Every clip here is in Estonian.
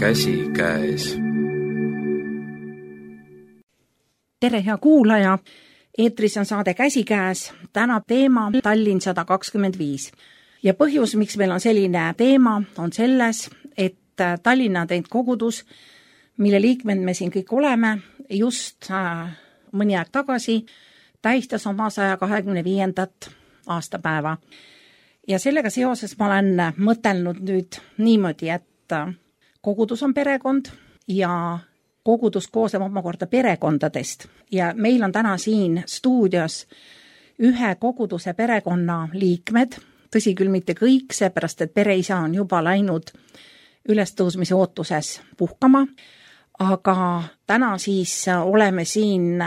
käsikäes. Tere, hea kuulaja! Eetris on saade Käsikäes. Täna teema Tallinn 125. Ja põhjus, miks meil on selline teema, on selles, et Tallinna Adventkogudus, mille liikmed me siin kõik oleme, just mõni aeg tagasi tähistas oma 125. aastapäeva. Ja sellega seoses ma olen mõtelnud nüüd niimoodi, et kogudus on perekond ja kogudus koosneb omakorda perekondadest. Ja meil on täna siin stuudios ühe koguduse perekonna liikmed, tõsi küll mitte kõik, seepärast et pereisa on juba läinud ülestõusmise ootuses puhkama, aga täna siis oleme siin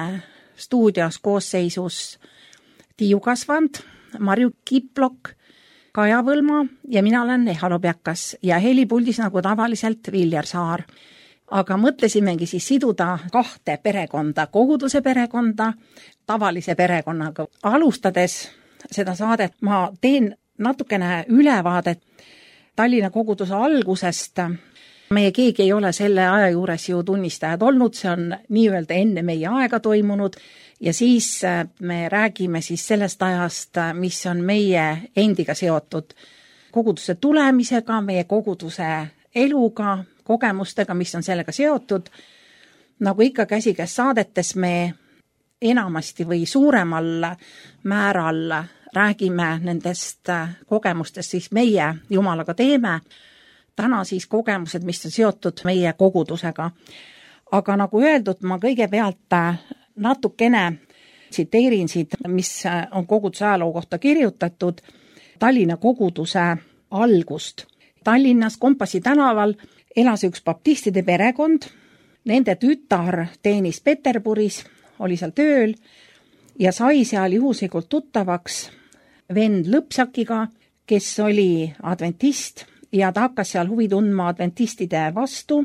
stuudios koosseisus Tiiu Kasvand, Marju Kiplok, Kaja Võlma ja mina olen Eha Lobjakas ja helipuldis nagu tavaliselt Viljar Saar. Aga mõtlesimegi siis siduda kahte perekonda, koguduse perekonda, tavalise perekonnaga. Alustades seda saadet ma teen natukene ülevaadet Tallinna koguduse algusest. Meie keegi ei ole selle aja juures ju tunnistajad olnud, see on nii-öelda enne meie aega toimunud ja siis me räägime siis sellest ajast, mis on meie endiga seotud koguduse tulemisega, meie koguduse eluga, kogemustega, mis on sellega seotud. Nagu ikka Käsikäes saadetes me enamasti või suuremal määral räägime nendest kogemustest, siis meie Jumalaga teeme. Täna siis kogemused, mis on seotud meie kogudusega. Aga nagu öeldud, ma kõigepealt natukene tsiteerin siit, mis on koguduse ajaloo kohta kirjutatud, Tallinna koguduse algust. Tallinnas Kompassi tänaval elas üks baptistide perekond, nende tütar teenis Peterburis, oli seal tööl ja sai seal juhuslikult tuttavaks vend Lõpsakiga, kes oli adventist ja ta hakkas seal huvi tundma adventistide vastu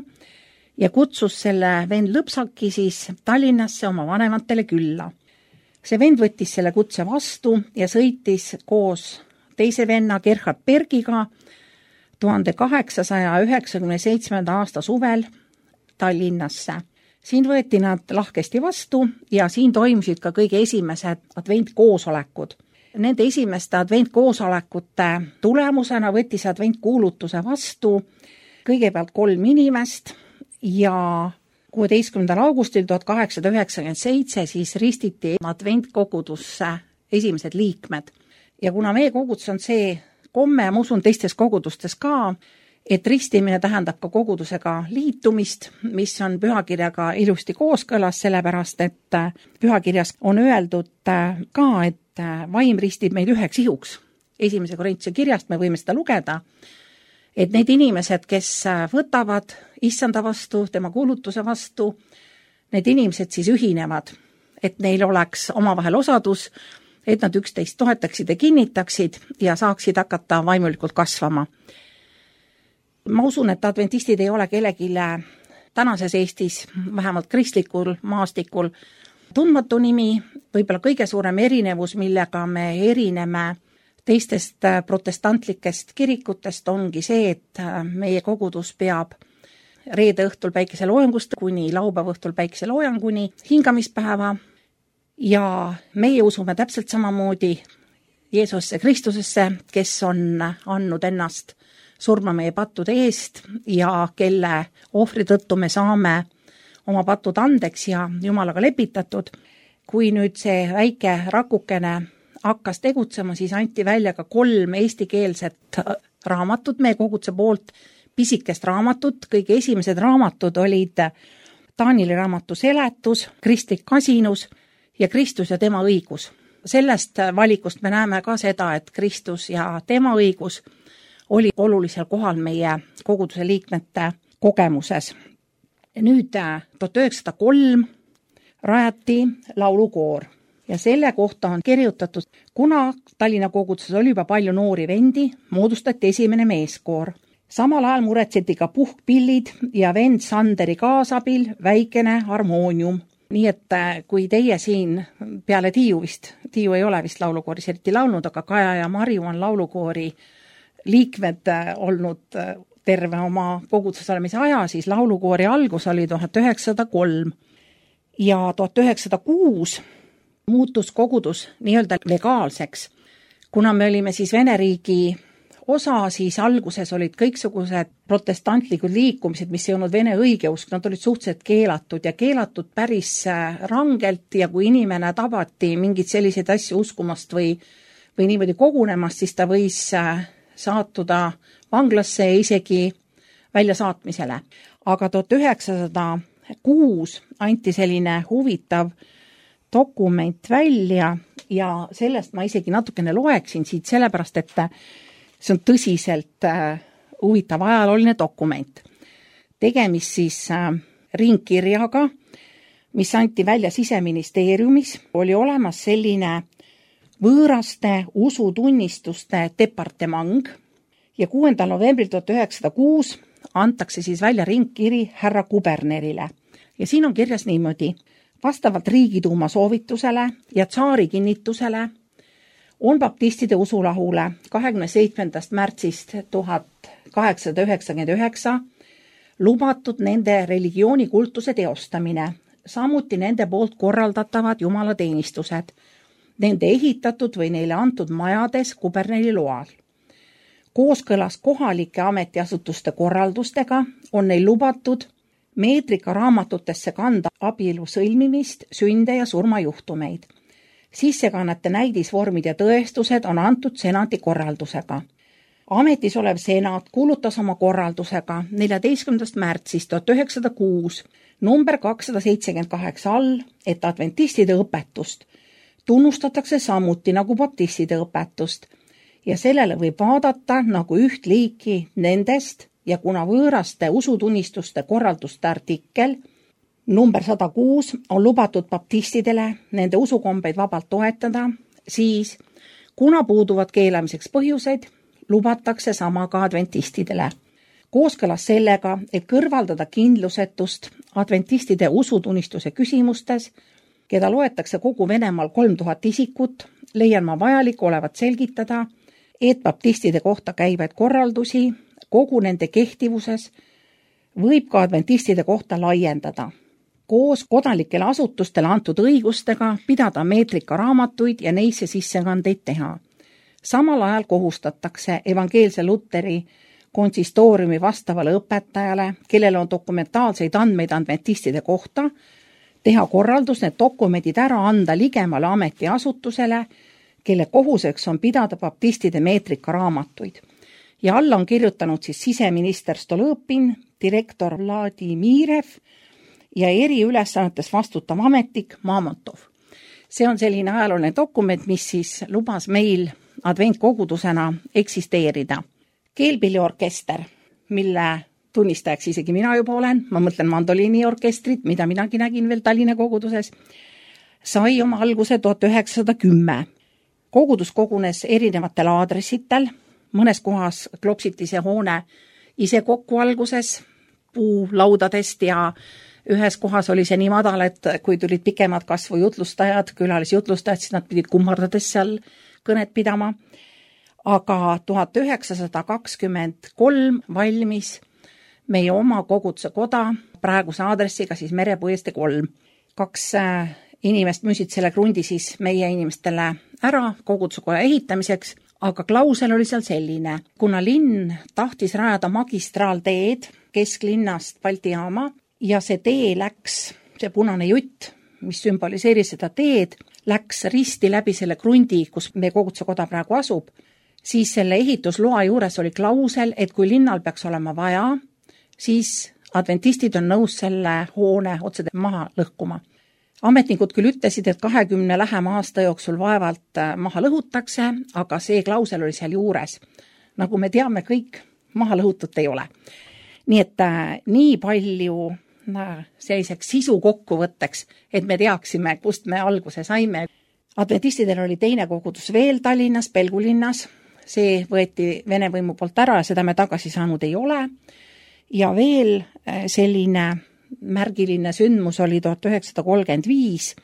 ja kutsus selle vend Lõpsaki siis Tallinnasse oma vanematele külla. See vend võttis selle kutse vastu ja sõitis koos teise venna Gerhard Bergiga 1897. aasta suvel Tallinnasse. Siin võeti nad lahkesti vastu ja siin toimusid ka kõige esimesed adventkoosolekud. Nende esimeste adventkoosolekute tulemusena võttis adventkuulutuse vastu kõigepealt 3 inimest ja 16. augustil 1897 siis ristiti adventkogudusse esimesed liikmed. Ja kuna meie kogudus on see komme, ma usun teistes kogudustes ka, et ristimine tähendab ka kogudusega liitumist, mis on pühakirjaga ilusti kooskõlas, sellepärast et pühakirjas on öeldud ka, et vaim ristib meid üheks ihuks. 1. Korintuse kirjast me võime seda lugeda, et need inimesed, kes võtavad issanda vastu, tema kuulutuse vastu, need inimesed siis ühinevad, et neil oleks omavahel osadus, et nad üksteist toetaksid ja kinnitaksid ja saaksid hakata vaimulikult kasvama. Ma usun, et adventistid ei ole kellelegi tänases Eestis, vähemalt kristlikul maastikul, tundmatu nimi, võib-olla kõige suurem erinevus, millega me erineme teistest protestantlikest kirikutest, ongi see, et meie kogudus peab reede õhtul päikeseloojangust kuni laupäeva õhtul päikeseloojanguni hingamispäeva ja meie usume täpselt samamoodi Jeesusesse Kristusesse, kes on andnud ennast surma meie pattude eest ja kelle ohvri tõttu me saame oma patud andeks ja Jumalaga lepitatud. Kui nüüd see väike rakukene hakkas tegutsema, siis anti välja ka 3 eestikeelset raamatut meie koguduse poolt, pisikest raamatut. Kõige esimesed raamatud olid Taanili raamatu seletus, kristlik kasinus ja Kristus ja tema õigus. Sellest valikust me näeme ka seda, et Kristus ja tema õigus oli olulisel kohal meie koguduse liikmete kogemuses. Nüüd 1903 rajati laulukoor ja selle kohta on kirjutatud, kuna Tallinna koguduses oli juba palju noori vendi, moodustati esimene meeskoor. Samal ajal muretseti ka puhkpillid ja vend Sanderi kaasabil väikene harmoonium. Nii et kui teie siin peale Tiiu ei ole vist laulukooris eriti laulnud, aga Kaja ja Marju on laulukoori liikmed olnud terve oma koguduses olemise aja, siis laulukoori algus oli 1903 ja 1906 muutus kogudus nii-öelda legaalseks. Kuna me olime siis Vene riigi osa, siis alguses olid kõiksugused protestantlikud liikumised, mis ei olnud Vene õigeusk, nad olid suhteliselt keelatud ja keelatud päris rangelt ja kui inimene tabati mingid selliseid asju uskumast või niimoodi kogunemast, siis ta võis saatuda vanglasse ja isegi väljasaatmisele. Aga 1906 anti selline huvitav dokument välja ja sellest ma isegi natukene loeksin siit, sellepärast et see on tõsiselt huvitav ajalooline dokument. Tegemist siis ringkirjaga, mis anti välja Siseministeeriumis, oli olemas selline võõraste usutunnistuste departement ja 6. novembril 1906 antakse siis välja ringkiri härra kubernerile. Ja siin on kirjas niimoodi: vastavalt Riigiduuma soovitusele ja tsaari kinnitusele on baptistide usulahule 27. märtsist 1899 lubatud nende religioonikultuse teostamine, samuti nende poolt korraldatavad jumalateenistused, nende ehitatud või neile antud majades kuberneri loal. Kooskõlas kohalike ametiasutuste korraldustega on neil lubatud meetrikaraamatutesse kanda abielu sõlmimist, sünde ja surmajuhtumeid. Sissekannete näidisvormid ja tõestused on antud senati korraldusega. Ametis olev senat kuulutas oma korraldusega 14. märtsist 1906 number 278 all, et adventistide õpetust tunnustatakse samuti nagu baptistide õpetust ja sellele võib vaadata nagu üht liiki nendest ja kuna võõraste usutunnistuste korralduste artikkel number 106 on lubatud baptistidele nende usukombeid vabalt toetada, siis kuna puuduvad keelamiseks põhjuseid, lubatakse sama ka adventistidele. Kooskõlas sellega, et kõrvaldada kindlusetust adventistide usutunnistuse küsimustes, keda loetakse kogu Venemaal 3000 isikut, leian ma vajalik olevat selgitada, et baptistide kohta käivaid korraldusi kogu nende kehtivuses võib ka adventistide kohta laiendada. Koos kodanikele asutustele antud õigustega pidada meetrikaraamatuid ja neisse sissekandeid teha. Samal ajal kohustatakse evangeelse Luteri konsistooriumi vastavale õpetajale, kellel on dokumentaalseid andmeid adventistide kohta, teha korraldus need dokumendid ära anda ligemale ametiasutusele, kelle kohuseks on pidada baptistide meetrikaraamatuid. Ja alla on kirjutanud siis siseminister Stolõpin, direktor Vladimirev ja eriülesannetes vastutav ametnik Mamontov. See on selline ajalooline dokument, mis siis lubas meil adventkogudusena eksisteerida. Keelpilliorkester, mille tunnistajaks isegi mina juba olen, ma mõtlen mandoliiniorkestrit, mida minagi nägin veel Tallinna koguduses, sai oma alguse 1910. Kogudus kogunes erinevatel aadressitel, mõnes kohas klopsiti see hoone ise kokku alguses puulaudadest ja ühes kohas oli see nii madal, et kui tulid pikemad kasvu jutlustajad, külalisjutlustajad, siis nad pidid kummardades seal kõnet pidama. Aga 1923 valmis meie oma koguduse koda praeguse aadressiga siis Merepuiestee 3. 2 inimest müüsid selle krundi siis meie inimestele ära koguduse koja ehitamiseks, aga klausel oli seal selline. Kuna linn tahtis rajada magistraalteed kesklinnast Balti jaama ja see tee läks, see punane jutt, mis sümboliseeris seda teed, läks risti läbi selle krundi, kus meie koguduse koda praegu asub, siis selle ehitusloa juures oli klausel, et kui linnal peaks olema vaja, siis adventistid on nõus selle hoone otse maha lõhkuma. Ametnikud küll ütlesid, et 20 lähema aasta jooksul vaevalt maha lõhutakse, aga see klausel oli seal juures. Nagu me teame, kõik maha lõhutut ei ole. Nii et nii palju selliseks sisu kokkuvõtteks, et me teaksime, kust me alguse saime. Adventistidel oli teine kogudus veel Tallinnas, Pelgulinnas. See võeti Vene võimu poolt ära ja seda me tagasi saanud ei ole. Ja veel selline märgiline sündmus oli 1935,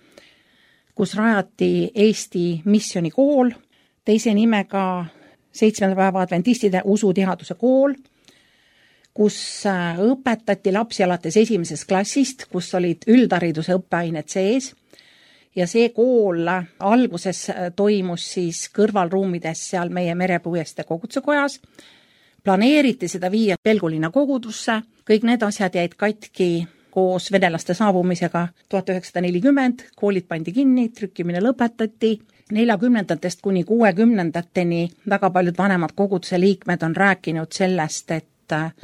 kus rajati Eesti missionikool, teise nimega 7. päeva adventistide usuteaduse kool. kus õpetati lapsi alates 1. klassist, kus olid üldhariduse õppeained sees. Ja see kool alguses toimus siis kõrvalruumides seal meie Merepuiestee koguduse-kojas. Planeeriti seda viia Pelgulinna kogudusse. Kõik need asjad jäid katki koos venelaste saabumisega 1940. Koolid pandi kinni, trükkimine lõpetati. 40. kuni 60. väga paljud vanemad koguduse liikmed on rääkinud sellest, et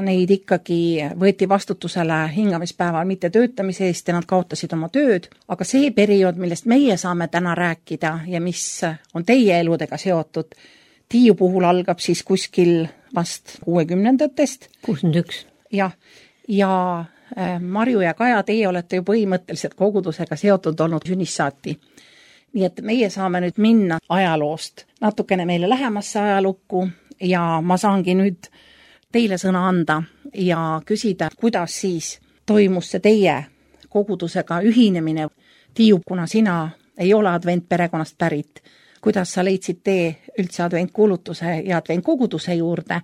neid ikkagi võeti vastutusele hingamispäeval mitte töötamise eest ja nad kaotasid oma tööd, aga see periood, millest meie saame täna rääkida ja mis on teie eludega seotud, Tiiu puhul algab siis kuskil vast 60-ndatest. 61. Jah, ja Marju ja Kaja, teie olete ju põhimõtteliselt kogudusega seotud olnud sünnist saati. Nii et meie saame nüüd minna ajaloost natukene meile lähemasse ajalukku ja ma saangi nüüd teile sõna anda ja küsida, kuidas siis toimus see teie kogudusega ühinemine. Tiiu, kuna sina ei ole adventperekonnast pärit, kuidas sa leidsid tee üldse adventkuulutuse ja adventkoguduse juurde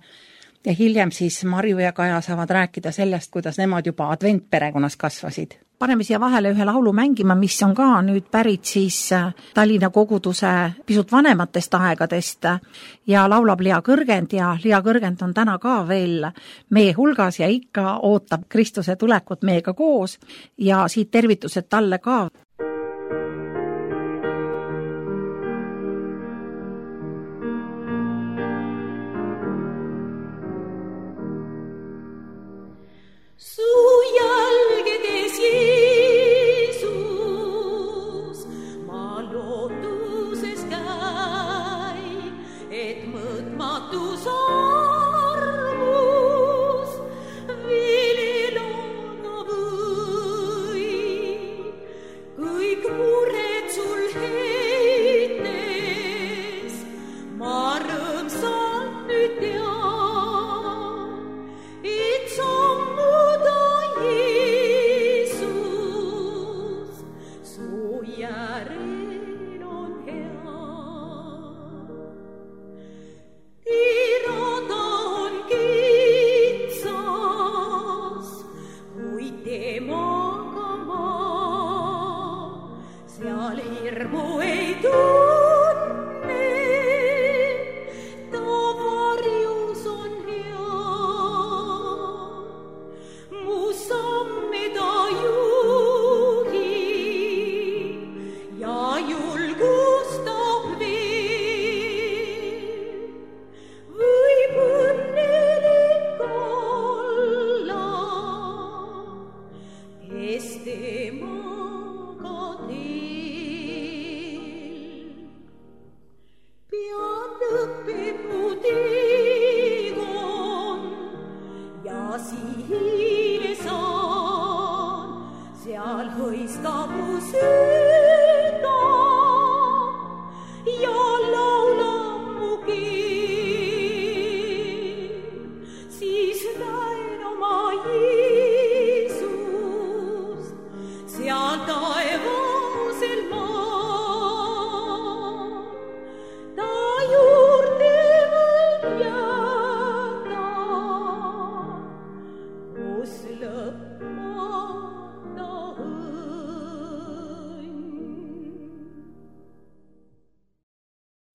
ja hiljem siis Marju ja Kaja saavad rääkida sellest, kuidas nemad juba adventperekonnas kasvasid. Paneme siia vahele ühe laulu mängima, mis on ka nüüd pärit siis Tallinna koguduse pisut vanematest aegadest ja laulab Lea Kõrgend ja Lea Kõrgend on täna ka veel meie hulgas ja ikka ootab Kristuse tulekut meiega koos ja siit tervitused talle ka.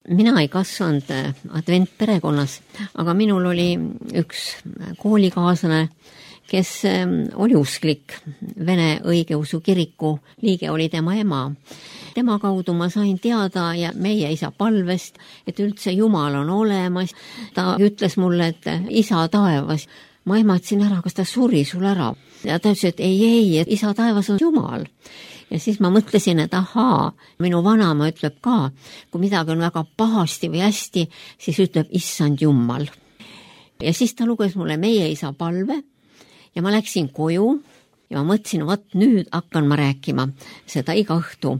Mina ei kasvanud adventperekonnas, aga minul oli üks koolikaaslane, kes oli usklik, Vene õigeusu kiriku liige oli tema ema. Tema kaudu ma sain teada ja meie isa palvest, et üldse Jumal on olemas. Ta ütles mulle, et isa taevas, ma ehmatasin ära, kas ta suri sul ära. Ja ta ütles, et ei, et isa taevas on Jumal. Ja siis ma mõtlesin, et ahaa, minu vanaema ütleb ka, kui midagi on väga pahasti või hästi, siis ütleb issand Jumal. Ja siis ta luges mulle meie isa palve ja ma läksin koju ja ma mõtlesin, vaat nüüd hakkan ma rääkima seda iga õhtu.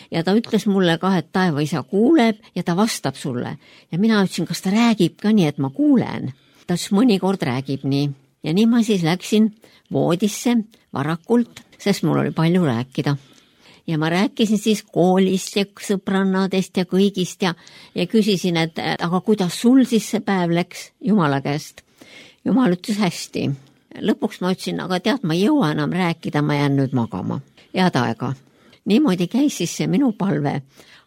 Ja ta ütles mulle ka, et taevaisa kuuleb ja ta vastab sulle. Ja mina ütlesin, kas ta räägib ka nii, et ma kuulen. Ta ütles, mõnikord räägib nii. Ja nii ma siis läksin voodisse varakult, sest mul oli palju rääkida. Ja ma rääkisin siis koolist ja sõbrannadest ja kõigist ja küsisin, et aga kuidas sul siis see päev läks Jumala käest? Jumal ütles hästi. lõpuks ma ütlesin, aga tead, ma ei jõua enam rääkida, ma jään nüüd magama. Head aega. Niimoodi käis siis see minu palve,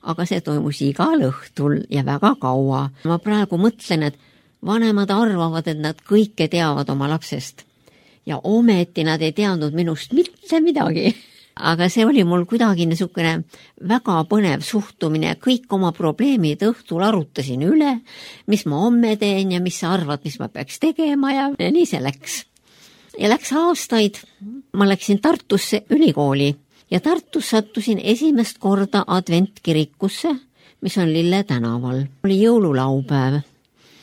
aga see toimus igal õhtul ja väga kaua. Ma praegu mõtlen, et vanemad arvavad, et nad kõike teavad oma lapsest ja ometi nad ei teadnud minust mitte midagi. Aga see oli mul kuidagi niisugune väga põnev suhtumine, kõik oma probleemid õhtul arutasin üle, mis ma homme teen ja mis sa arvad, mis ma peaks tegema ja nii see läks. Ja läks aastaid, ma läksin Tartusse ülikooli ja Tartus sattusin esimest korda adventkirikusse, mis on Lille tänaval. Oli jõululaupäev.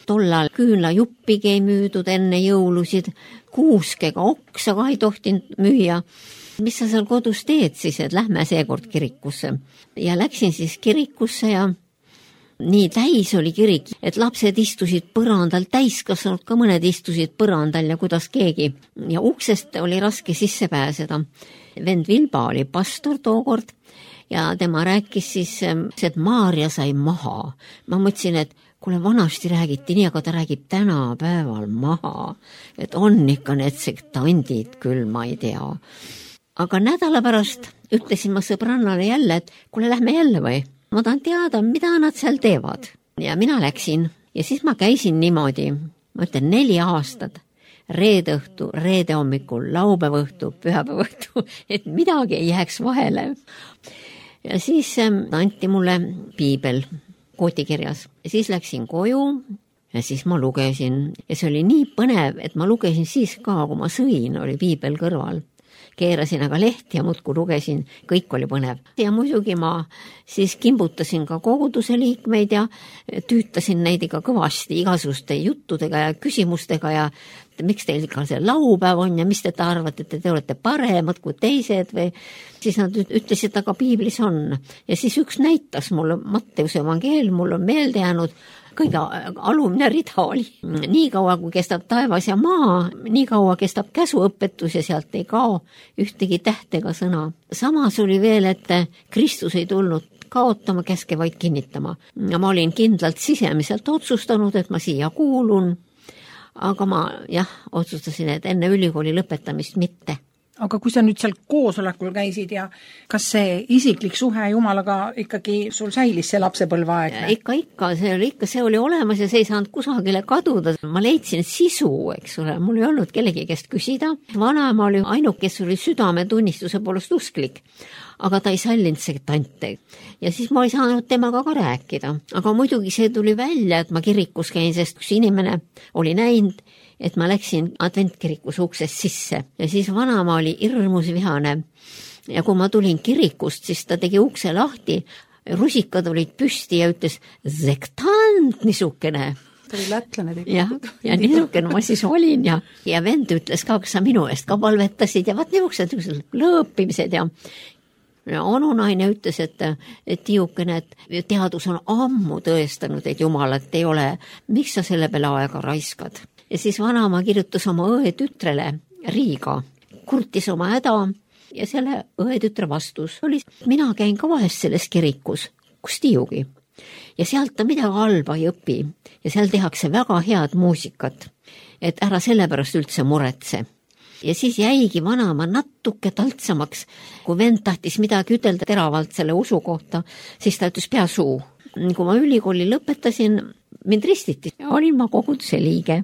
Tollal küünlajuppigi ei müüdud enne jõulusid, kuuskega oksa ka ei tohtinud müüa. Mis sa seal kodus teed siis, et lähme seekord kirikusse. Ja läksin siis kirikusse ja nii täis oli kirik, et lapsed istusid põrandal, täiskasvanud ka mõned istusid põrandal ja kuidas keegi. Ja uksest oli raske sisse pääseda. Vend Vilba oli pastor tookord ja tema rääkis siis, et Maarja sai maha. Ma mõtlesin, et kuule, vanasti räägiti nii, aga ta räägib tänapäeval maha. Et on ikka need sektandid küll, ma ei tea. Aga nädala pärast ütlesin ma sõbrannale jälle, et kuule, lähme jälle või? Ma tahan teada, mida nad seal teevad. Ja mina läksin ja siis ma käisin niimoodi, ma ütlen 4 aastat, reede õhtu, reede hommikul, laupäeva õhtu, pühapäeva õhtu, et midagi ei jääks vahele. Ja siis anti mulle piibel kootikirjas. Ja siis läksin koju ja siis ma lugesin. Ja see oli nii põnev, et ma lugesin siis ka, kui ma sõin, oli piibel kõrval. Keerasin aga lehti ja muudkui lugesin, kõik oli põnev. Ja muidugi ma siis kimbutasin ka koguduse liikmeid ja tüütasin neid ikka kõvasti igasuguste juttudega ja küsimustega ja miks teil ikka see laupäev on ja mis te arvate, et te olete paremad kui teised või siis nad ütlesid, aga piiblis on. Ja siis üks näitas mulle, Matteuse evangeel, mul on meelde jäänud, kõige alumine rida oli. Nii kaua, kui kestab taevas ja maa, nii kaua kestab käsuõpetus ja sealt ei kao ühtegi tähtega sõna. Samas oli veel, et Kristus ei tulnud kaotama, käske vaid kinnitama. Ja ma olin kindlalt sisemiselt otsustanud, et ma siia kuulun, aga ma otsustasin, et enne ülikooli lõpetamist mitte. Aga kui sa nüüd seal koosolekul käisid ja kas see isiklik suhe Jumalaga ikkagi sul säilis see lapsepõlveaeg? Ikka, see oli olemas ja see ei saanud kusagile kaduda. Ma leidsin sisu, eks ole, mul ei olnud kellegi käest küsida. Vanaema oli ainuk, kes oli südametunnistuse poolest usklik, aga ta ei sallinud sektante. Ja siis ma ei saanud temaga ka rääkida. Aga muidugi see tuli välja, et ma kirikus käin, sest kus inimene oli näinud, et ma läksin adventkirikus uksest sisse ja siis vanaema oli hirmus vihane. Ja kui ma tulin kirikust, siis ta tegi ukse lahti, rusikad olid püsti ja ütles, sektant niisugune. Ta oli lätlane tegelikult. Ja niisugune ma siis olin ja vend ütles ka, kas sa minu eest ka palvetasid ja vaat niisugused lõõpimised ja onunaine ütles, et tiiukene, et teadus on ammu tõestanud, et Jumalat ei ole, miks sa selle peale aega raiskad? Ja siis vanaema kirjutas oma õetütrele Riiga, kurtis oma häda ja selle õetütre vastus oli, mina käin ka vahest selles kirikus, kus tiiugi. Ja sealt ta midagi halba ei õpi ja seal tehakse väga head muusikat, et ära sellepärast üldse muretse. Ja siis jäigi vanaema natuke taltsamaks, kui vend tahtis midagi ütelda teravalt selle usu kohta, siis ta ütles pea suu. Kui ma ülikooli lõpetasin, mind ristiti, olin ma koguduse liige.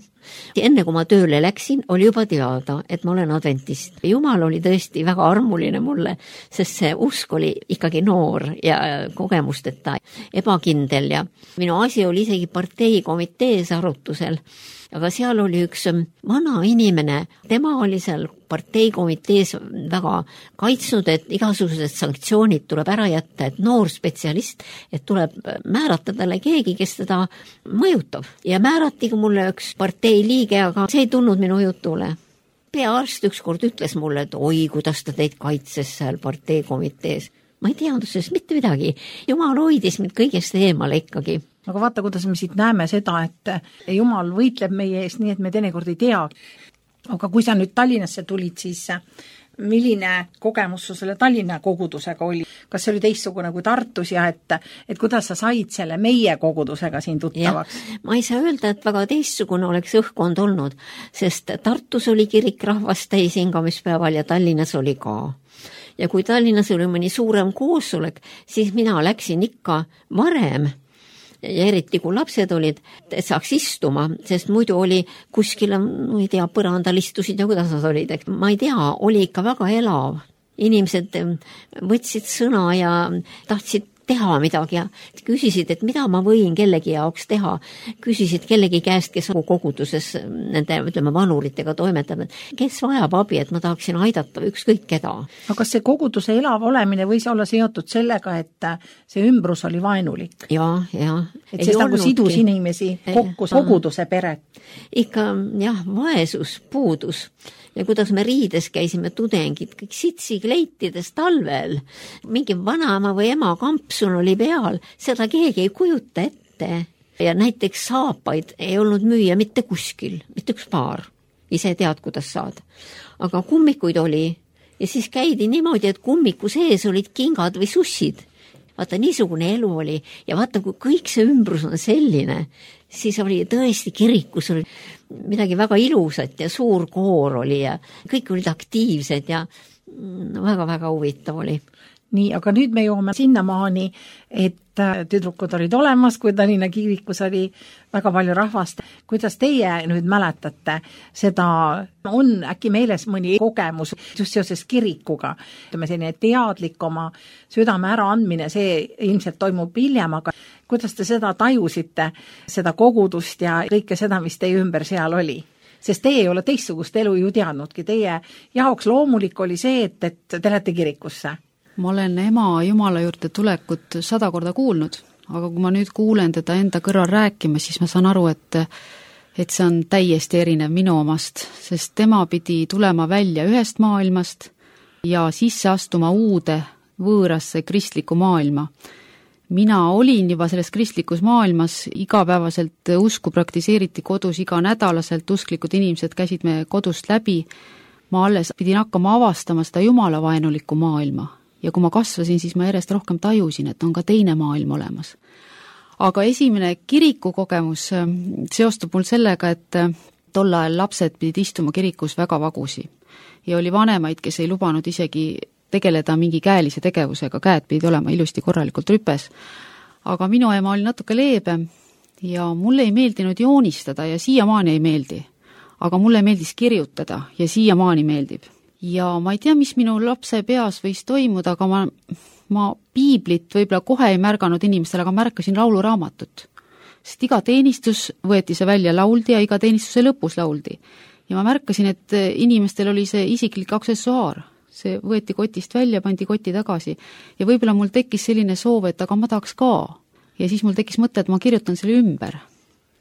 Enne kui ma tööle läksin, oli juba teada, et ma olen adventist. Jumal oli tõesti väga armuline mulle, sest see usk oli ikkagi noor ja kogemusteta ebakindel ja minu asi oli isegi parteikomitees arutusel. Aga seal oli üks vana inimene, tema oli seal parteikomitees väga kaitsnud, et igasugused sanktsioonid tuleb ära jätta, et noor spetsialist, et tuleb määrata talle keegi, kes teda mõjutab. Ja määratigi mulle üks partei liige, aga see ei tulnud minu jutule. Peaarst ükskord ütles mulle, et oi, kuidas ta teid kaitses seal parteikomitees. Ma ei teadnud sellest mitte midagi. Jumal hoidis mind kõigest eemale ikkagi. Aga vaata, kuidas me siit näeme seda, et Jumal võitleb meie eest nii, et me teinekord ei tea. Aga kui sa nüüd Tallinnasse tulid, siis milline kogemus sul selle Tallinna kogudusega oli? Kas see oli teistsugune kui Tartus ja et kuidas sa said selle meie kogudusega siin tuttavaks? Ma ei saa öelda, et väga teistsugune oleks õhkkond olnud, sest Tartus oli kirik rahvast täis hingamispäeval ja Tallinnas oli ka. Ja kui Tallinnas oli mõni suurem koosolek, siis mina läksin ikka varem ja eriti kui lapsed olid, et saaks istuma, sest muidu oli kuskil, ma ei tea, põrandal istusid ja kuidas nad olid, ma ei tea, oli ikka väga elav. Inimesed võtsid sõna ja tahtsid teha midagi ja küsisid, et mida ma võin kellegi jaoks teha. Küsisid kellegi käest, kes koguduses nende, ütleme, vanuritega toimetab, kes vajab abi, et ma tahaksin aidata ükskõik keda. Aga kas see koguduse elav olemine võis olla seotud sellega, et see ümbrus oli vaenulik? Ja. Et see nagu sidus inimesi kokku koguduse peret? Ikka, jah, vaesus, puudus. Ja kuidas me riides käisime tudengid, kõik sitsikleitides talvel, mingi vanaema või ema kampsun oli peal, seda keegi ei kujuta ette. Ja näiteks saapaid ei olnud müüa mitte kuskil, mitte üks paar. Ise tead, kuidas saad. Aga kummikuid oli ja siis käidi niimoodi, et kummiku sees olid kingad või sussid. Vaata, niisugune elu oli ja vaata, kui kõik see ümbrus on selline, siis oli tõesti kirikus oli midagi väga ilusat ja suur koor oli ja kõik olid aktiivsed ja väga-väga huvitav oli. Nii, aga nüüd me jõuame sinnamaani, et tüdrukud olid olemas, kui Tallinna kirikus oli väga palju rahvast. Kuidas teie nüüd mäletate seda, on äkki meeles mõni kogemus just seoses kirikuga? Ütleme selline teadlik oma südame äraandmine, see ilmselt toimub hiljem, aga kuidas te seda tajusite, seda kogudust ja kõike seda, mis teie ümber seal oli? Sest teie ei ole teistsugust elu ju teadnudki. Teie jaoks loomulik oli see, et te lähete kirikusse. Ma olen ema Jumala juurde tulekut 100 korda kuulnud, aga kui ma nüüd kuulen teda enda kõrval rääkima, siis ma saan aru, et see on täiesti erinev minu omast, sest tema pidi tulema välja ühest maailmast ja sisse astuma uude võõrasse kristliku maailma. Mina olin juba selles kristlikus maailmas, igapäevaselt usku praktiseeriti kodus, iga nädalaselt usklikud inimesed käisid me kodust läbi, ma alles pidin hakkama avastama seda jumalavaenulikku maailma. Ja kui ma kasvasin, siis ma järjest rohkem tajusin, et on ka teine maailm olemas. Aga esimene kirikukogemus seostub mul sellega, et tol ajal lapsed pidid istuma kirikus väga vagusi. Ja oli vanemaid, kes ei lubanud isegi tegeleda mingi käelise tegevusega, käed pidid olema ilusti korralikult rüpes. Aga minu ema oli natuke leebem ja mulle ei meeldinud joonistada ja siiamaani ei meeldi. Aga mulle meeldis kirjutada ja siiamaani meeldib. Ja ma ei tea, mis minu lapse peas võis toimuda, aga ma piiblit võib-olla kohe ei märganud inimestele, aga märkasin lauluraamatut. Sest iga teenistus võeti see välja lauldi ja iga teenistuse lõpus lauldi. Ja ma märkasin, et inimestel oli see isiklik aksessuaar. See võeti kotist välja, pandi koti tagasi. Ja võib-olla mul tekkis selline soov, et aga ma tahaks ka. Ja siis mul tekkis mõte, et ma kirjutan selle ümber.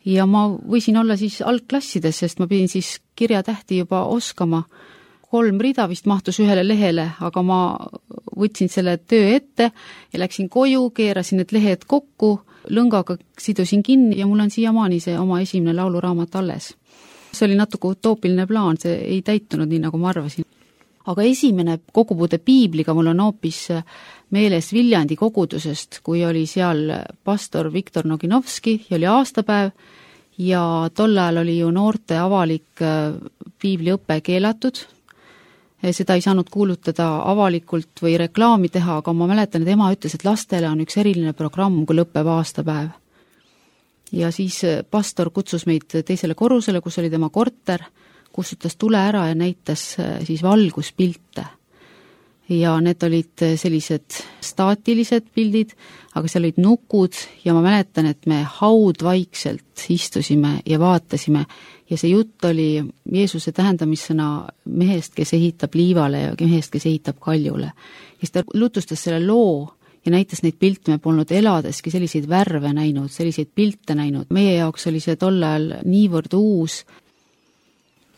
Ja ma võisin olla siis algklassides, sest ma pidin siis kirjatähti juba oskama. 3 rida vist mahtus ühele lehele, aga ma võtsin selle töö ette ja läksin koju, keerasin need lehed kokku, lõngaga sidusin kinni ja mul on siiamaani see oma esimene lauluraamat alles. See oli natuke utoopiline plaan, see ei täitunud nii, nagu ma arvasin. Aga esimene kogupuude piibliga mul on hoopis meeles Viljandi kogudusest, kui oli seal pastor Viktor Noginovski ja oli aastapäev ja tol ajal oli ju noorte avalik piibliõpe keelatud. Seda ei saanud kuulutada avalikult või reklaami teha, aga ma mäletan, et ema ütles, et lastele on üks eriline programm, kui lõpeb aastapäev. Ja siis pastor kutsus meid teisele korrusele, kus oli tema korter, kustutas tule ära ja näitas siis valguspilte. Ja need olid sellised staatilised pildid, aga seal olid nukud ja ma mäletan, et me haudvaikselt istusime ja vaatasime ja see jutt oli Jeesuse tähendamissõna mehest, kes ehitab liivale ja mehest, kes ehitab kaljule. Ja siis ta lutustas selle loo ja näitas neid pilte, me polnud eladeski selliseid värve näinud, selliseid pilte näinud. Meie jaoks oli see tol ajal niivõrd uus.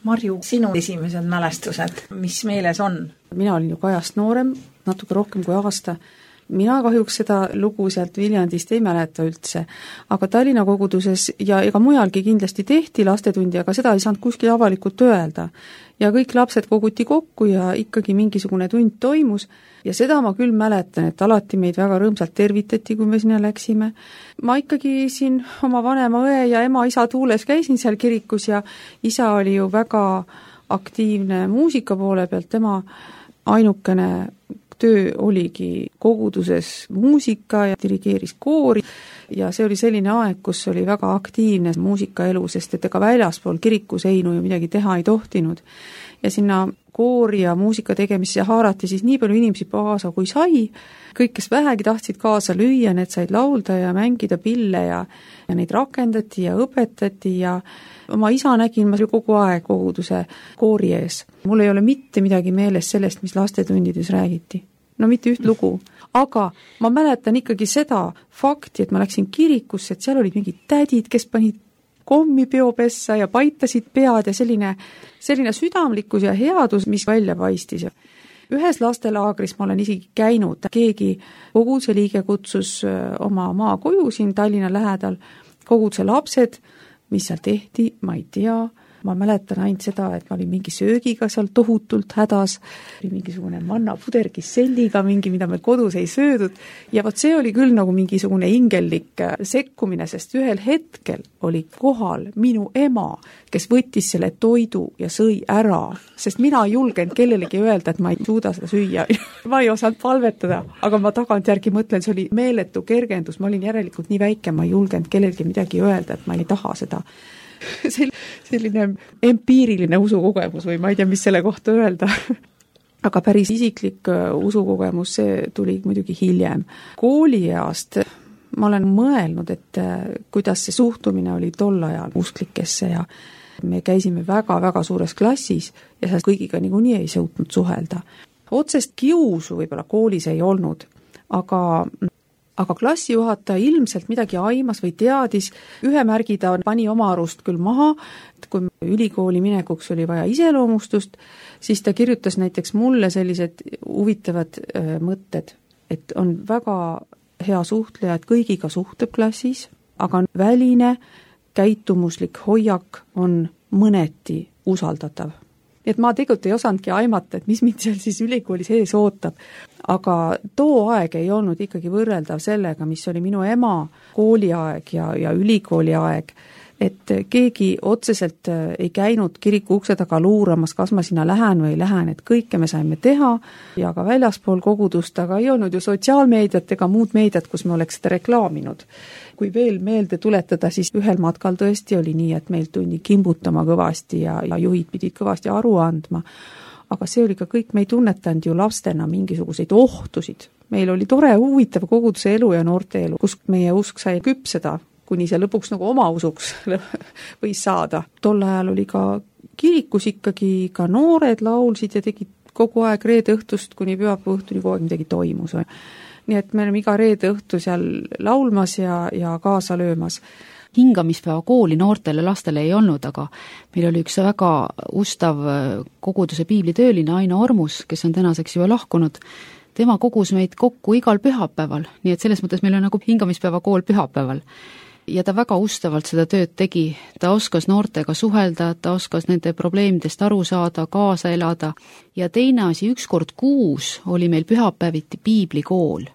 Marju, sinu esimesed mälestused, mis meeles on? Mina olin ju Kajast noorem, natuke rohkem kui aasta. mina kahjuks seda lugu sealt Viljandist ei mäleta üldse, aga Tallinna koguduses ja ega mujalgi kindlasti tehti lastetundi, aga seda ei saanud kuskil avalikult öelda. Ja kõik lapsed koguti kokku ja ikkagi mingisugune tund toimus ja seda ma küll mäletan, et alati meid väga rõõmsalt tervitati, kui me sinna läksime. Ma ikkagi siin oma vanema õe ja ema-isa tuules käisin seal kirikus ja isa oli ju väga aktiivne muusika poole pealt, tema ainukene töö oligi koguduses muusika ja dirigeeris koori ja see oli selline aeg, kus oli väga aktiivne muusikaelu, sest et ega väljaspool kirikuseinu ju midagi teha ei tohtinud. Ja sinna koori ja muusika tegemisse haarati siis nii palju inimesi kaasa kui sai, kõik, kes vähegi tahtsid kaasa lüüa, need said laulda ja mängida pille ja neid rakendati ja õpetati ja oma isa nägin ma kogu aeg koguduse koori ees. Mul ei ole mitte midagi meeles sellest, mis lastetundides räägiti. No mitte üht lugu. Aga ma mäletan ikkagi seda fakti, et ma läksin kirikusse, et seal olid mingid tädid, kes panid kommi peopessa ja paitasid pead ja selline südamlikkus ja headus, mis välja paistis. Ühes lastelaagris ma olen isegi käinud, keegi koguduse liige kutsus oma maakoju siin Tallinna lähedal, koguduse lapsed, mis seal tehti, ma ei tea, ma mäletan ainult seda, et ma olin mingi söögiga seal tohutult hädas, mingisugune mannapuder kiselliga, mingi, mida meil kodus ei söödud ja vot see oli küll nagu mingisugune ingellik sekkumine, sest ühel hetkel oli kohal minu ema, kes võttis selle toidu ja sõi ära, sest mina ei julgenud kellelegi öelda, et ma ei suuda seda süüa. Ma ei osanud palvetada, aga ma tagantjärgi mõtlen, see oli meeletu kergendus, ma olin järelikult nii väike, ma ei julgenud kellelegi midagi öelda, et ma ei taha seda. Selline empiiriline usukogemus või ma ei tea, mis selle kohta öelda. Aga päris isiklik usukogemus, see tuli muidugi hiljem. Koolieast ma olen mõelnud, et kuidas see suhtumine oli tol ajal usklikesse ja me käisime väga-väga suures klassis ja seal kõigiga niikuinii ei suutnud suhelda. Otsest kiusu võib-olla koolis ei olnud, aga klassijuhataja ilmselt midagi aimas või teadis, ühe märgi ta pani oma arust küll maha, et kui ülikooli minekuks oli vaja iseloomustust, siis ta kirjutas näiteks mulle sellised huvitavad mõtted, et on väga hea suhtleja, et kõigiga suhtleb klassis, aga väline käitumuslik hoiak on mõneti usaldatav. Et ma tegelikult ei osanudki aimata, et mis mind seal siis ülikooli sees ootab, aga too aeg ei olnud ikkagi võrreldav sellega, mis oli minu ema kooliaeg ja ülikooli aeg, et keegi otseselt ei käinud kiriku ukse taga luuramas, kas ma sinna lähen või ei lähen, et kõike me saime teha ja ka väljaspool kogudust, aga ei olnud ju sotsiaalmeediat ega muud meediat, kus me oleks seda reklaaminud. Kui veel meelde tuletada, siis ühel matkal tõesti oli nii, et meil tundi kimbutama kõvasti ja juhid pidid kõvasti aru andma. Aga see oli ka kõik, me ei tunnetanud ju lastena mingisuguseid ohtusid. Meil oli tore, huvitav koguduse elu ja noorte elu, kus meie usk sai küpseda, kuni see lõpuks nagu oma usuks võis saada. Tol ajal oli ka kirikus ikkagi ka noored laulsid ja tegid kogu aeg reede õhtust kuni pühapäeva õhtuni kogu aeg midagi toimus. Nii et me oleme iga reede õhtu seal laulmas ja kaasa löömas. Hingamispäeva kooli noortele lastele ei olnud, aga meil oli üks väga ustav koguduse piiblitööline Aino Ormus, kes on tänaseks juba lahkunud. Tema kogus meid kokku igal pühapäeval, nii et selles mõttes meil on nagu hingamispäeva kool pühapäeval. Ja ta väga ustavalt seda tööd tegi, ta oskas noortega suhelda, ta oskas nende probleemidest aru saada, kaasa elada ja teine asi, üks kord kuus oli meil pühapäeviti piiblikool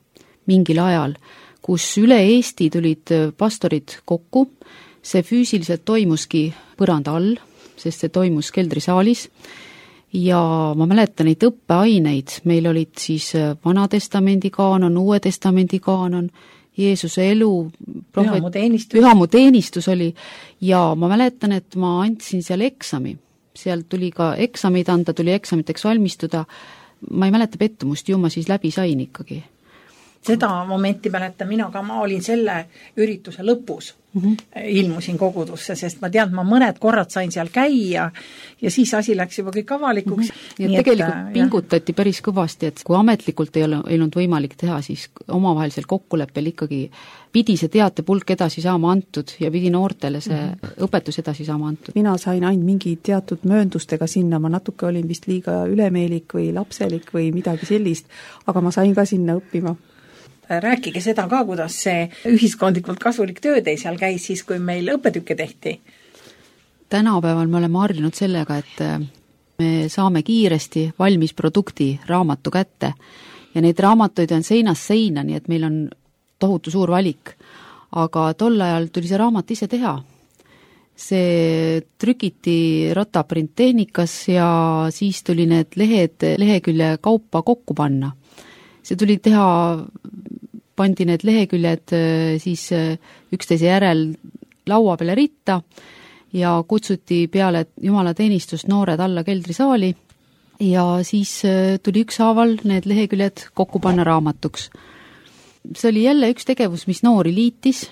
mingil ajal, kus üle Eesti tulid pastorid kokku, see füüsiliselt toimuski põranda all, sest see toimus keldrisaalis ja ma mäletan neid õppeaineid, meil olid siis Vana Testamendi kaanon, Uue Testamendi kaanon, Jeesuse elu, pühamu teenistus oli ja ma mäletan, et ma andsin seal eksami. Seal tuli ka eksameid anda, tuli eksamiteks valmistuda. Ma ei mäleta pettumust, ju ma siis läbi sain ikkagi. Seda momenti mäletan mina ka, ma olin selle ürituse lõpus, ilmusin kogudusse, sest ma tean, ma mõned korrad sain seal käia ja siis asi läks juba kõik avalikuks. Nii tegelikult pingutati päris kõvasti, et kui ametlikult ei olnud võimalik teha, siis omavahelisel kokkuleppel ikkagi pidi see teatepulk edasi saama antud ja pidi noortele see õpetus edasi saama antud. Mina sain ainult mingi teatud mööndustega sinna, ma natuke olin vist liiga ülemeelik või lapselik või midagi sellist, aga ma sain ka sinna õppima. Rääkige seda ka, kuidas see ühiskondlikult kasulik töö teil seal käis siis, kui meil õppetükke tehti. Tänapäeval me oleme harjunud sellega, et me saame kiiresti valmis produkti raamatu kätte ja neid raamatuid on seinast seina, nii et meil on tohutu suur valik. Aga tol ajal tuli see raamat ise teha. See trükiti rataprinttehnikas ja siis tuli need lehekülje kaupa kokku panna. See tuli teha, pandi need leheküljed siis üksteise järel laua peale ritta ja kutsuti peale jumalateenistust noored alla keldrisaali ja siis tuli ükshaaval need leheküljed kokku panna raamatuks. See oli jälle üks tegevus, mis noori liitis,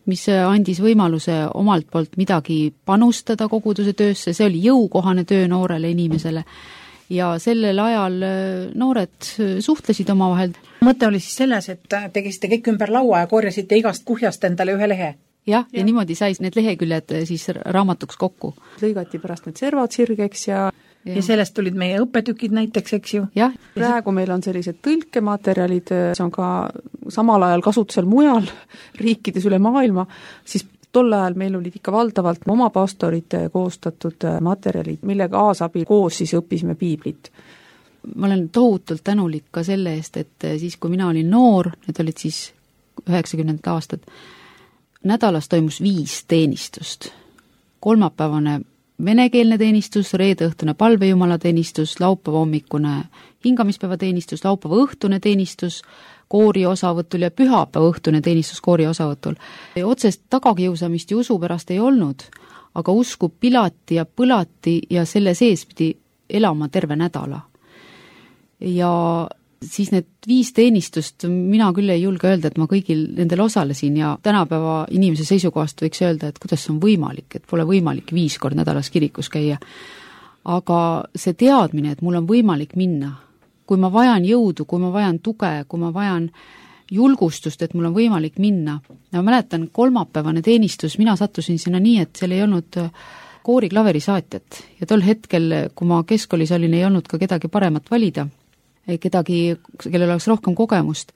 mis andis võimaluse omalt poolt midagi panustada koguduse töösse, see oli jõukohane töö noorele inimesele ja sellel ajal noored suhtlesid omavahel. Mõte oli siis selles, et tegisite kõik ümber laua ja korjasite igast kuhjast endale ühe lehe. Ja niimoodi sai need leheküljed siis raamatuks kokku. Lõigati pärast need servad sirgeks ja sellest tulid meie õppetükid näiteks, eks ju? Jah. Praegu meil on sellised tõlkematerjalid, see on ka samal ajal kasutusel mujal riikides üle maailma, siis tol ajal meil olid ikka valdavalt oma pastorite koostatud materjalid, mille kaasabil koos siis õppisime piiblit. Ma olen tohutult tänulik ka selle eest, et siis kui mina olin noor, need olid siis 90. aastad, nädalas toimus 5 teenistust. Kolmapäevane venekeelne teenistus, reedeõhtune palvejumalateenistus, laupäeva hommikune hingamispäevateenistus, laupäeva õhtune teenistus, koori osavõtul ja pühapäeva õhtune teenistus koori osavõtul. Otsest tagakiusamist ja usu pärast ei olnud, aga usku pilati ja põlati ja selle sees pidi elama terve nädala. Ja siis need 5 teenistust, mina küll ei julge öelda, et ma kõigil nendel osalesin ja tänapäeva inimese seisukohast võiks öelda, et kuidas see on võimalik, et pole võimalik 5 kord nädalas kirikus käia. Aga see teadmine, et mul on võimalik minna, kui ma vajan jõudu, kui ma vajan tuge, kui ma vajan julgustust, et mul on võimalik minna. Ja ma mäletan, kolmapäevane teenistus, mina sattusin sinna nii, et seal ei olnud koori klaverisaatjat ja tol hetkel, kui ma keskkoolis olin, ei olnud ka kedagi paremat valida. Kedagi, kellel oleks rohkem kogemust.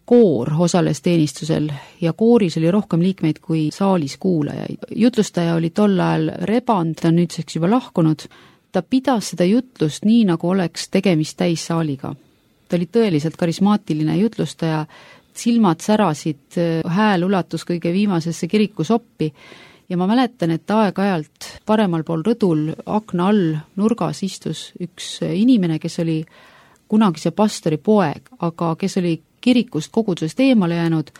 Koor osales teenistusel ja kooris oli rohkem liikmeid kui saalis kuulajaid. Jutlustaja oli tol ajal Reband, ta nüüdseks juba lahkunud. Ta pidas seda jutlust nii, nagu oleks tegemist täissaaliga. Ta oli tõeliselt karismaatiline jutlustaja, silmad särasid, hääl ulatus kõige viimasesse kirikusoppi ja ma mäletan, et aeg-ajalt paremal pool rõdul akna all nurgas istus üks inimene, kes oli kunagise pastori poeg, aga kes oli kirikust kogudusest eemale jäänud,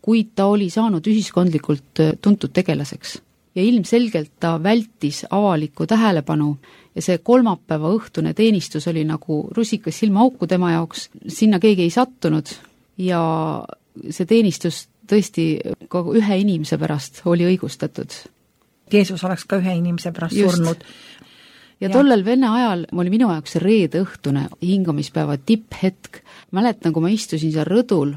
kuid ta oli saanud ühiskondlikult tuntud tegelaseks. Ja ilmselgelt ta vältis avalikku tähelepanu ja see kolmapäeva õhtune teenistus oli nagu rusikas silmaauku tema jaoks, sinna keegi ei sattunud ja see teenistus tõesti ka ühe inimese pärast oli õigustatud. Jeesus oleks ka ühe inimese pärast surnud. Ja tollel vene ajal oli minu jaoks reede õhtune hingamispäeva tipphetk. Mäletan, kui ma istusin seal rõdul,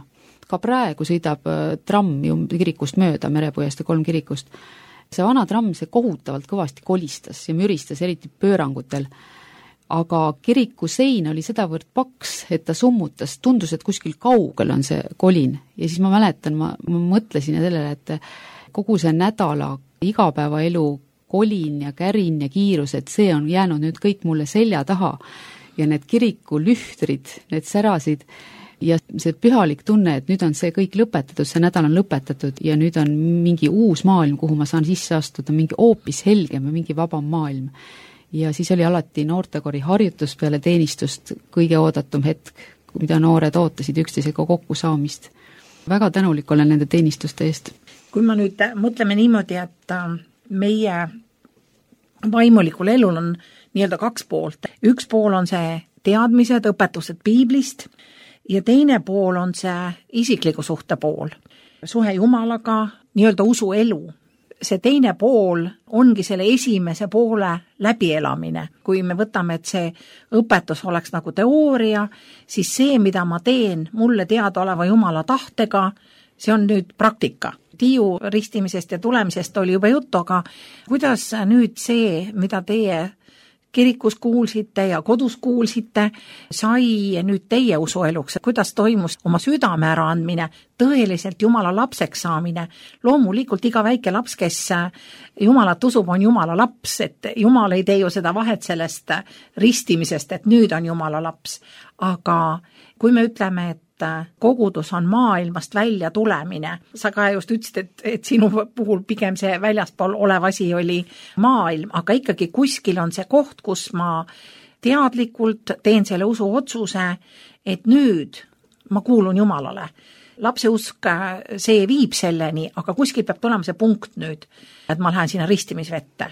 ka praegu sõidab tramm ju kirikust mööda, Merepõiest ja 3 kirikust. See vana tramm, see kohutavalt kõvasti kolistas ja müristas eriti pöörangutel. Aga kiriku sein oli sedavõrd paks, et ta summutas, tundus, et kuskil kaugel on see kolin. Ja siis ma mäletan, ma mõtlesin sellele, et kogu see nädala igapäevaelu kolin ja kärin ja kiirus, et see on jäänud nüüd kõik mulle selja taha ja need kiriku lühtrid, need särasid ja see pühalik tunne, et nüüd on see kõik lõpetatud, see nädal on lõpetatud ja nüüd on mingi uus maailm, kuhu ma saan sisse astuda, mingi hoopis helgem ja mingi vabam maailm. Ja siis oli alati noortekori harjutus peale teenistust kõige oodatum hetk, mida noored ootasid üksteisega kokku saamist. Väga tänulik olen nende teenistuste eest. Kui ma nüüd mõtleme niimoodi, et meie vaimulikul elul on nii-öelda 2 poolt. Üks pool on see teadmised, õpetused piiblist ja teine pool on see isikliku suhte pool. Suhe Jumalaga, nii-öelda usuelu. See teine pool ongi selle esimese poole läbielamine. Kui me võtame, et see õpetus oleks nagu teooria, siis see, mida ma teen mulle teadaoleva Jumala tahtega, see on nüüd praktika. Tiiu ristimisest ja tulemisest oli juba juttu, aga kuidas nüüd see, mida teie kirikus kuulsite ja kodus kuulsite, sai nüüd teie usueluks, kuidas toimus oma südame äraandmine, tõeliselt Jumala lapseks saamine. Loomulikult iga väike laps, kes Jumalat usub, on Jumala laps, et Jumal ei tee ju seda vahet sellest ristimisest, et nüüd on Jumala laps. Aga kui me ütleme, et kogudus on maailmast välja tulemine, sa ka just ütlesid, et sinu puhul pigem see väljaspool olev asi oli maailm, aga ikkagi kuskil on see koht, kus ma teadlikult teen selle usu otsuse, et nüüd ma kuulun Jumalale. Lapse usk, see viib selleni, aga kuskil peab tulema see punkt nüüd, et ma lähen sinna ristimisvette.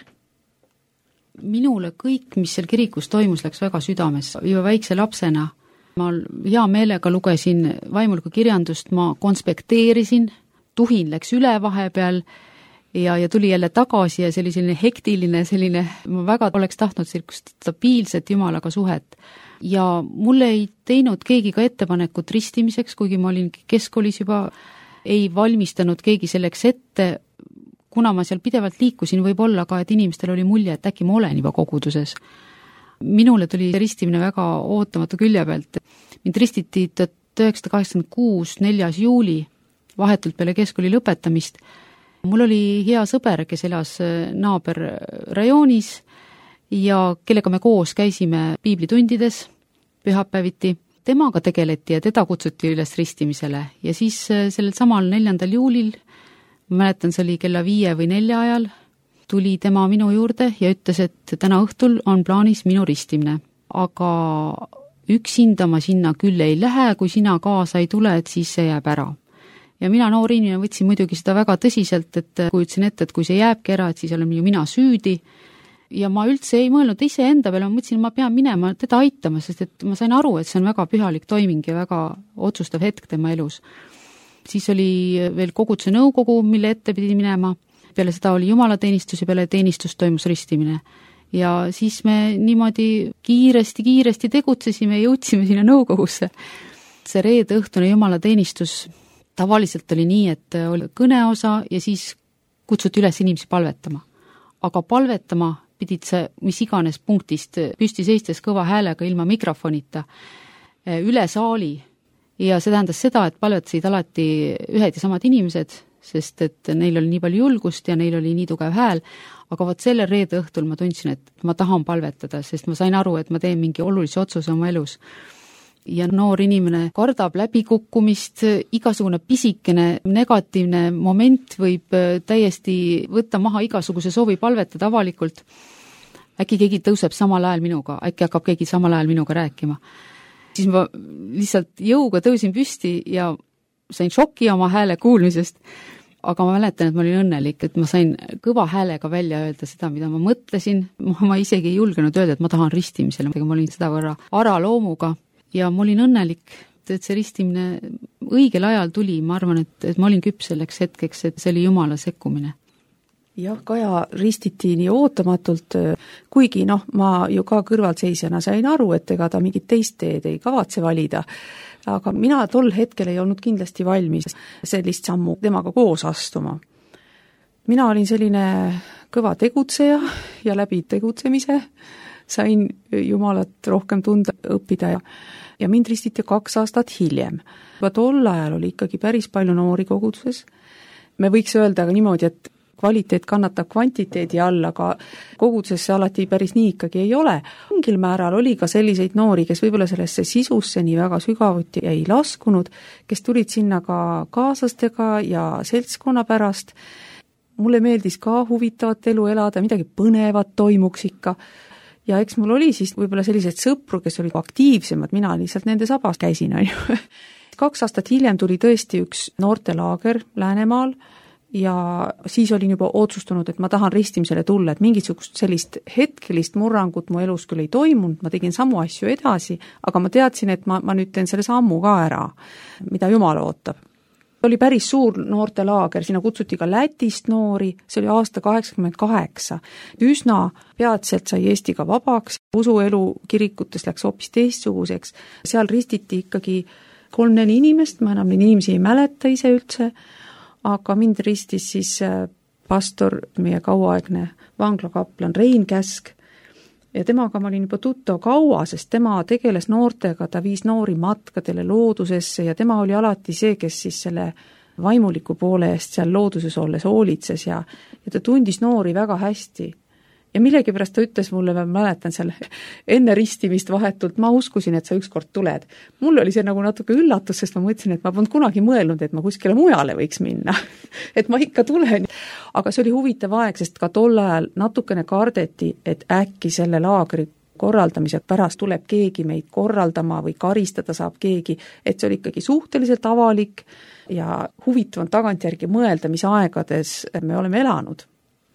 Minule kõik, mis seal kirikus toimus, läks väga südames. Juba väikse lapsena ma hea meelega lugesin vaimuliku kirjandust, ma konspekteerisin, tuhin läks üle vahepeal ja tuli jälle tagasi ja see oli selline hektiline, ma väga oleks tahtnud sellist stabiilset Jumalaga suhet. Ja mulle ei teinud keegi ka ettepanekut ristimiseks, kuigi ma olin keskkoolis juba, ei valmistanud keegi selleks ette, kuna ma seal pidevalt liikusin, võib-olla ka, et inimestel oli mulje, et äkki ma olen juba koguduses. Minule tuli ristimine väga ootamatu külje pealt. Mind ristiti 1986, 4. juuli, vahetult peale keskkooli lõpetamist. Mul oli hea sõber, kes elas naaberrajoonis ja kellega me koos käisime piiblitundides pühapäeviti. Temaga tegeleti ja teda kutsuti üles ristimisele ja siis sellel samal 4. juulil, ma mäletan, see oli kella 5 või 4 ajal, tuli tema minu juurde ja ütles, et täna õhtul on plaanis minu ristimine. Aga üksinda ma sinna küll ei lähe, kui sina kaasa ei tule, et siis see jääb ära. Ja mina noor inimene võtsin muidugi seda väga tõsiselt, et kujutasin ette, et kui see jääbki ära, et siis olen ju mina süüdi. Ja ma üldse ei mõelnud ise enda peale, ma mõtlesin, ma pean minema teda aitama, sest et ma sain aru, et see on väga pühalik toiming ja väga otsustav hetk tema elus. Siis oli veel koguduse nõukogu, mille ette pidi minema. Peale seda oli jumalateenistus ja peale teenistus toimus ristimine. Ja siis me niimoodi kiiresti tegutsesime ja jõudsime sinna nõukogusse. See reede õhtune jumalateenistus tavaliselt oli nii, et oli kõneosa ja siis kutsuti üles inimesi palvetama. Aga palvetama pidid sa mis iganes punktist püsti seistes kõva häälega ilma mikrofonita üle saali. Ja see tähendas seda, et palvetasid alati ühed ja samad inimesed, sest et neil oli nii palju julgust ja neil oli nii tugev hääl, aga vot selle reede õhtul ma tundsin, et ma tahan palvetada, sest ma sain aru, et ma teen mingi olulise otsuse oma elus. Ja noor inimene kardab läbikukkumist, igasugune pisikene negatiivne moment võib täiesti võtta maha igasuguse soovi palvetada avalikult. Äkki keegi tõuseb samal ajal minuga, äkki hakkab keegi samal ajal minuga rääkima. Siis ma lihtsalt jõuga tõusin püsti ja sain šoki oma hääle kuulmisest, aga ma mäletan, et ma olin õnnelik, et ma sain kõva häälega välja öelda seda, mida ma mõtlesin. Ma isegi ei julgenud öelda, et ma tahan ristimisele, ma olin seda võrra araloomuga ja ma olin õnnelik, et see ristimine õigel ajal tuli. Ma arvan, et ma olin küps selleks hetkeks, et see oli Jumala sekkumine. Jah, Kaja ristiti nii ootamatult, kuigi ma ju ka kõrvalseisjana sain aru, et ega ta mingit teist teed ei kavatse valida, aga mina tol hetkel ei olnud kindlasti valmis sellist sammu temaga koos astuma. Mina olin selline kõva tegutseja ja läbi tegutsemise sain Jumalat rohkem tunda õppida ja mind ristiti 2 aastat hiljem. Juba tol ajal oli ikkagi päris palju noori koguduses. Me võiks öelda aga niimoodi, et kvaliteet kannatab kvantiteedi all, aga kogudusesse alati päris nii ikkagi ei ole. Mingil määral oli ka selliseid noori, kes võib-olla sellesse sisusse nii väga sügavuti ei laskunud, kes tulid sinna ka kaaslastega ja seltskonna pärast. Mulle meeldis ka huvitavat elu elada, midagi põnevat toimuks ikka. Ja eks mul oli siis võib-olla sellised sõpru, kes olid aktiivsemad, mina lihtsalt nende sabas käisin. 2 aastat hiljem tuli tõesti üks noortelaager Läänemaal, ja siis olin juba otsustanud, et ma tahan ristimisele tulla, et mingisugust sellist hetkelist murrangut mu elus küll ei toimunud, ma tegin samu asju edasi, aga ma teadsin, et ma nüüd teen selle sammu ka ära, mida Jumal ootab. Oli päris suur noortelaager, sinna kutsuti ka Lätist noori, see oli aasta 88. Üsna peatselt sai Eesti ka vabaks, usuelu kirikutes läks hoopis teistsuguseks, seal ristiti ikkagi 3-4 inimest, ma enam neid inimesi ei mäleta ise üldse, aga mind ristis siis pastor, meie kauaaegne vanglakaplan Rein Käsk ja temaga ma olin juba tuttav kaua, sest tema tegeles noortega, ta viis noori matkadele loodusesse ja tema oli alati see, kes siis selle vaimuliku poole eest seal looduses olles hoolitses ja ta tundis noori väga hästi. Ja millegipärast ta ütles mulle, ma mäletan seal enne ristimist vahetult, ma uskusin, et sa ükskord tuled. Mul oli see nagu natuke üllatus, sest ma mõtlesin, et ma polnud kunagi mõelnud, et ma kuskile mujale võiks minna. Et ma ikka tulen. Aga see oli huvitav aeg, sest ka tol ajal natukene kardeti, et äkki selle laagri korraldamise pärast tuleb keegi meid korraldama või karistada saab keegi, et see oli ikkagi suhteliselt avalik ja huvitav on tagantjärgi mõelda, mis aegades me oleme elanud.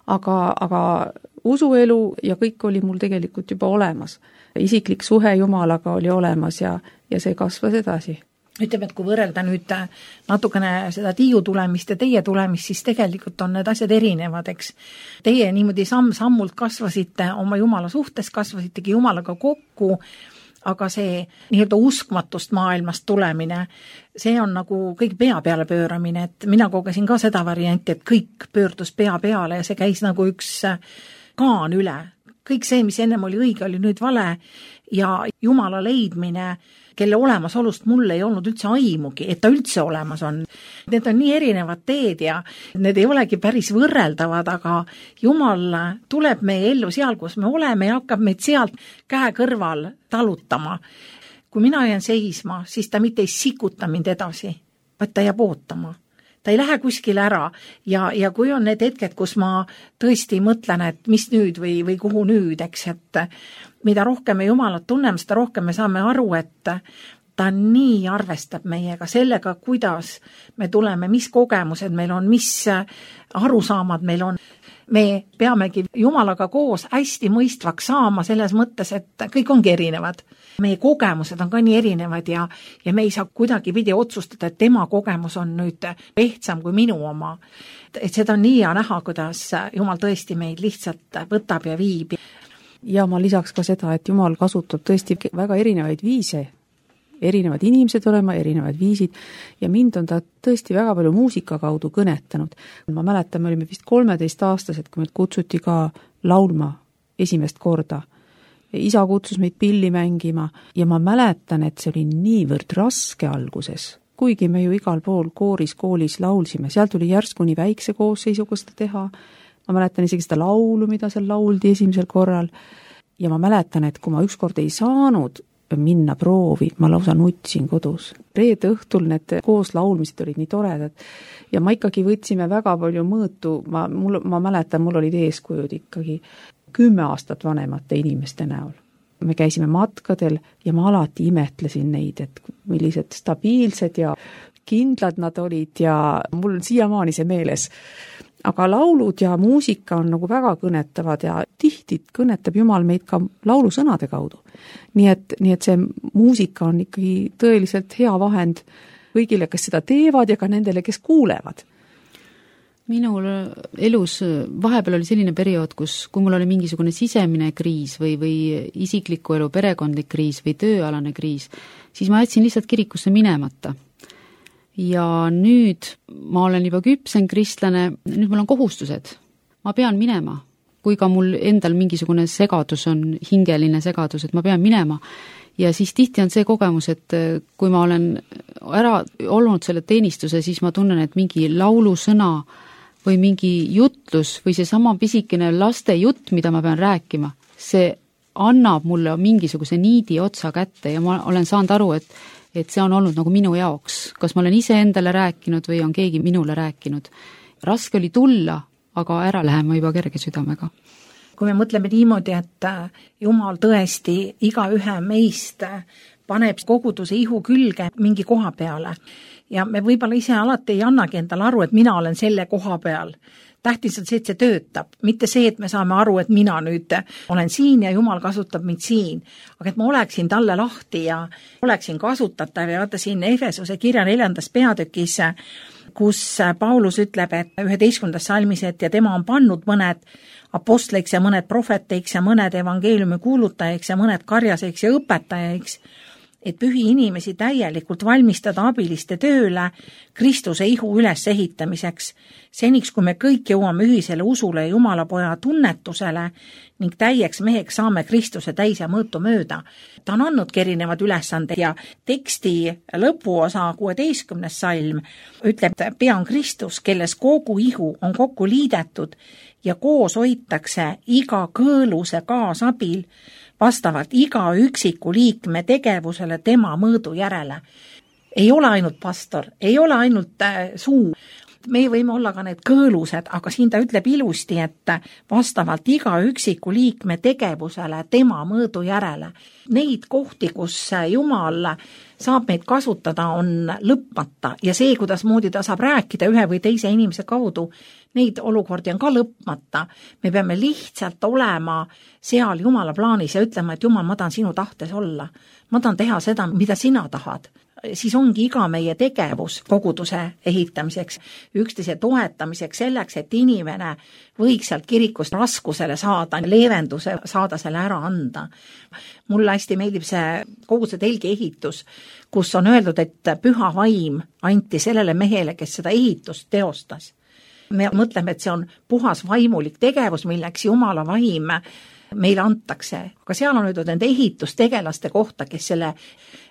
Aga usuelu ja kõik oli mul tegelikult juba olemas. Isiklik suhe Jumalaga oli olemas ja see kasvas edasi. Ütleme, et kui võrrelda nüüd natukene seda Tiiu tulemist ja teie tulemist, siis tegelikult on need asjad erinevad, eks. Teie niimoodi samm-sammult kasvasite oma Jumala suhtes, kasvasitegi Jumalaga kokku, aga see nii-öelda uskmatust maailmast tulemine, see on nagu kõik pea peale pööramine, et mina kogesin ka seda varianti, et kõik pöördus pea peale ja see käis nagu üks kaan üle. Kõik see, mis ennem oli õige, oli nüüd vale ja Jumala leidmine, kelle olemasolust mul ei olnud üldse aimugi, et ta üldse olemas on. Need on nii erinevad teed ja need ei olegi päris võrreldavad, aga Jumal tuleb meie ellu seal, kus me oleme ja hakkab meid sealt käe kõrval talutama. Kui mina jään seisma, siis ta mitte ei sikuta mind edasi, vaid ta jääb ootama. Ta ei lähe kuskile ära ja kui on need hetked, kus ma tõesti mõtlen, et mis nüüd või kuhu nüüd, eks, et mida rohkem me Jumalat tunneme, seda rohkem me saame aru, et ta nii arvestab meiega sellega, kuidas me tuleme, mis kogemused meil on, mis arusaamad meil on. Me peamegi Jumalaga koos hästi mõistvaks saama selles mõttes, et kõik ongi erinevad. Meie kogemused on ka nii erinevad ja me ei saa kuidagi pidi otsustada, et tema kogemus on nüüd ehtsam kui minu oma. Et seda on nii hea näha, kuidas Jumal tõesti meid lihtsalt võtab ja viib. Ja ma lisaks ka seda, et Jumal kasutab tõesti väga erinevaid viise. Erinevad inimesed olema, erinevad viisid ja mind on ta tõesti väga palju muusika kaudu kõnetanud. Ma mäletan, me olime vist 13-aastased, kui meid kutsuti ka laulma esimest korda. Isa kutsus meid pilli mängima ja ma mäletan, et see oli niivõrd raske alguses. Kuigi me ju igal pool koolis laulsime, seal tuli järsku nii väikse koosseisuga seda teha. Ma mäletan isegi seda laulu, mida seal lauldi esimesel korral ja ma mäletan, et kui ma ükskord ei saanud minna proovi, ma lausa nutsin kodus. Reede õhtul need koos laulmised olid nii toredad ja ma ikkagi võtsime väga palju mõõtu, ma mäletan, mul olid eeskujud ikkagi 10 aastat vanemate inimeste näol. Me käisime matkadel ja ma alati imetlesin neid, et millised stabiilsed ja kindlad nad olid ja mul siiamaani see meeles. Aga laulud ja muusika on nagu väga kõnetavad ja tihti kõnetab Jumal meid ka laulusõnade kaudu. Nii et see muusika on ikkagi tõeliselt hea vahend kõigile, kes seda teevad ja ka nendele, kes kuulevad. Minul elus vahepeal oli selline periood, kui mul oli mingisugune sisemine kriis või isikliku elu perekondlik kriis või tööalane kriis, siis ma jätsin lihtsalt kirikusse minemata. Ja nüüd ma olen juba küpsen kristlane, nüüd mul on kohustused. Ma pean minema, kui ka mul endal mingisugune segadus on, hingeline segadus, et ma pean minema. Ja siis tihti on see kogemus, et kui ma olen ära olnud selle teenistuse, siis ma tunnen, et mingi laulusõna või mingi jutlus või see sama pisikene laste jutt, mida ma pean rääkima, see annab mulle mingisuguse niidi otsa kätte ja ma olen saanud aru, et see on olnud nagu minu jaoks. Kas ma olen ise endale rääkinud või on keegi minule rääkinud. Raske oli tulla, aga ära lähema juba kerge südamega. Kui me mõtleme niimoodi, et Jumal tõesti iga ühe meist paneb koguduse ihu külge mingi koha peale ja me võib-olla ise alati ei annagi endale aru, et mina olen selle koha peal. Tähtis on see, et see töötab, mitte see, et me saame aru, et mina nüüd olen siin ja Jumal kasutab mind siin, aga et ma oleksin talle lahti ja oleksin kasutatav ja vaata siin Efesuse kirja 4. peatükis, kus Paulus ütleb, et 11. salmis, et ja tema on pannud mõned apostleiks ja mõned prohveteiks ja mõned evangeeliumi kuulutajaiks ja mõned karjaseiks ja õpetajaiks et pühi inimesi täielikult valmistada abiliste tööle Kristuse ihu ülesehitamiseks, seniks kui me kõik jõuame ühisele usule ja Jumala poja tunnetusele ning täieks meheks saame Kristuse täis ja mõõtu mööda. Ta on andnudki erinevad ülesanded ja teksti lõpuosa 16. salm ütleb, et pea on Kristus, kelles kogu ihu on kokku liidetud ja koos hoitakse iga kõõluse kaasabil vastavalt iga üksiku liikme tegevusele tema mõõdu järele. Ei ole ainult pastor, ei ole ainult suu. Me võime olla ka need kõõlused, aga siin ta ütleb ilusti, et vastavalt iga üksiku liikme tegevusele tema mõõdu järele. Neid kohti, kus Jumal saab meid kasutada, on lõpmata ja see, kuidas moodi ta saab rääkida ühe või teise inimese kaudu, neid olukordi on ka lõpmata. Me peame lihtsalt olema seal Jumala plaanis ja ütlema, et Jumal, ma tahan sinu tahtes olla. Ma tahan teha seda, mida sina tahad. Siis ongi iga meie tegevus koguduse ehitamiseks, üksteise toetamiseks, selleks, et inimene võiks sealt kirikust raskusele saada, leevenduse saada selle ära anda. Mulle hästi meeldib see koguduse telgi ehitus, kus on öeldud, et püha vaim anti sellele mehele, kes seda ehitust teostas. Me mõtleme, et see on puhas vaimulik tegevus, milleks Jumala vaim meile antakse. Aga seal on öeldud nende ehitustegelaste kohta, kes selle,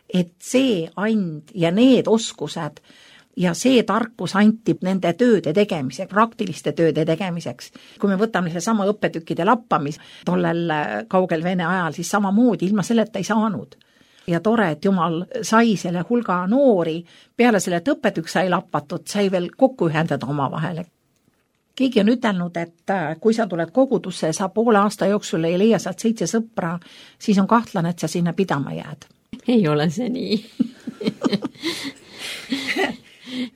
et see and ja need oskused ja see tarkus anti nende tööde tegemiseks, praktiliste tööde tegemiseks. Kui me võtame selle sama õppetükkide lappamis tollel kaugel Vene ajal, siis samamoodi ilma selleta ei saanud. Ja tore, et Jumal sai selle hulga noori, peale selle, et õppetükk sai lappatud, sai veel kokku ühendada oma vahele. Keegi on ütelnud, et kui sa tuled kogudusse ja sa poole aasta jooksul ei leia sealt 7 sõpra, siis on kahtlane, et sa sinna pidama jääd. Ei ole see nii.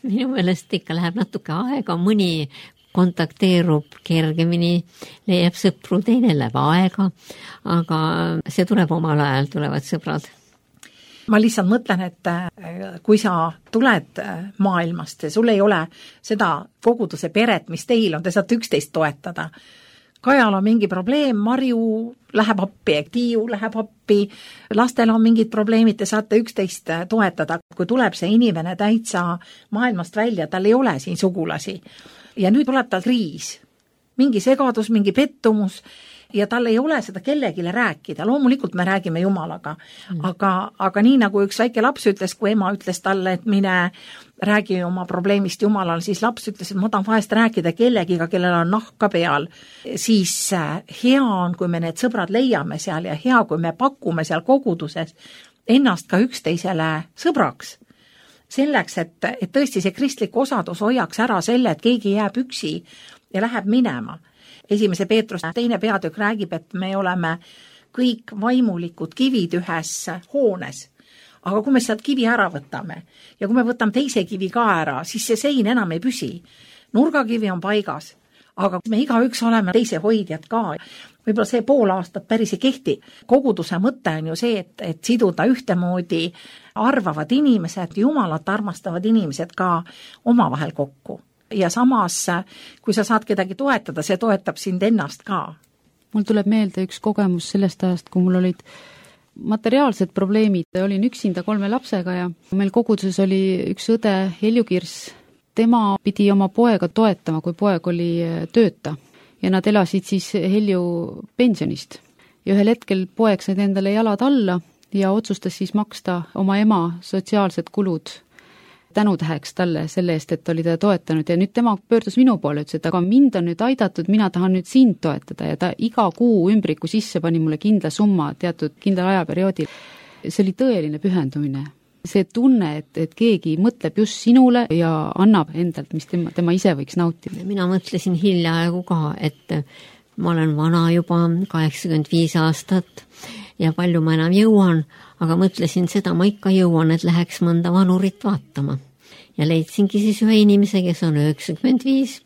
Minu meelest ikka läheb natuke aega, mõni kontakteerub kergemini, leiab sõpru, teine läheb aega, aga see tuleb omal ajal, tulevad sõbrad. Ma lihtsalt mõtlen, et kui sa tuled maailmast ja sul ei ole seda koguduse peret, mis teil on, te saate üksteist toetada. Kajal on mingi probleem, Marju läheb appi, Tiiu läheb appi, lastel on mingid probleemid, te saate üksteist toetada. Kui tuleb see inimene täitsa maailmast välja, tal ei ole siin sugulasi ja nüüd tuleb tal kriis, mingi segadus, mingi pettumus ja tal ei ole seda kellegile rääkida. Loomulikult me räägime Jumalaga, aga nii nagu üks väike laps ütles, kui ema ütles talle, et mine räägi oma probleemist Jumalal, siis laps ütles, et ma tahan vahest rääkida kellegiga, kellel on nahka peal. Siis hea on, kui me need sõbrad leiame seal ja hea, kui me pakume seal koguduses ennast ka üksteisele sõbraks. Selleks, et tõesti see kristlik osadus hoiaks ära selle, et keegi jääb üksi ja läheb minema. 1. Peetruse 2. peatükk räägib, et me oleme kõik vaimulikud kivid ühes hoones. Aga kui me sealt kivi ära võtame ja kui me võtame teise kivi ka ära, siis see sein enam ei püsi. Nurgakivi on paigas, aga me igaüks oleme teise hoidjad ka. Võib-olla see pool aastat päris ei kehti. Koguduse mõte on ju see, et siduda ühtemoodi arvavad inimesed, Jumalat armastavad inimesed ka omavahel kokku. Ja samas, kui sa saad kedagi toetada, see toetab sind ennast ka. Mul tuleb meelde üks kogemus sellest ajast, kui mul olid materiaalsed probleemid. Olin üksinda 3 lapsega ja meil koguduses oli üks õde Helju Kirs. Tema pidi oma poega toetama, kui poeg oli tööta ja nad elasid siis Helju pensionist. Ja ühel hetkel poeg said endale jalad alla ja otsustas siis maksta oma ema sotsiaalsed kulud tänutäheks talle selle eest, et oli ta toetanud ja nüüd tema pöördus minu poole, ütles, et aga mind on nüüd aidatud, mina tahan nüüd sind toetada ja ta iga kuu ümbriku sisse pani mulle kindla summa teatud kindlal ajaperioodil. See oli tõeline pühendumine. See tunne, et keegi mõtleb just sinule ja annab endalt, mis tema ise võiks nautida. Mina mõtlesin hiljaaegu ka, et ma olen vana juba 85 aastat ja palju ma enam jõuan, aga mõtlesin seda, ma ikka jõuan, et läheks mõnda vanurit vaatama. Ja leidsingi siis ühe inimese, kes on 95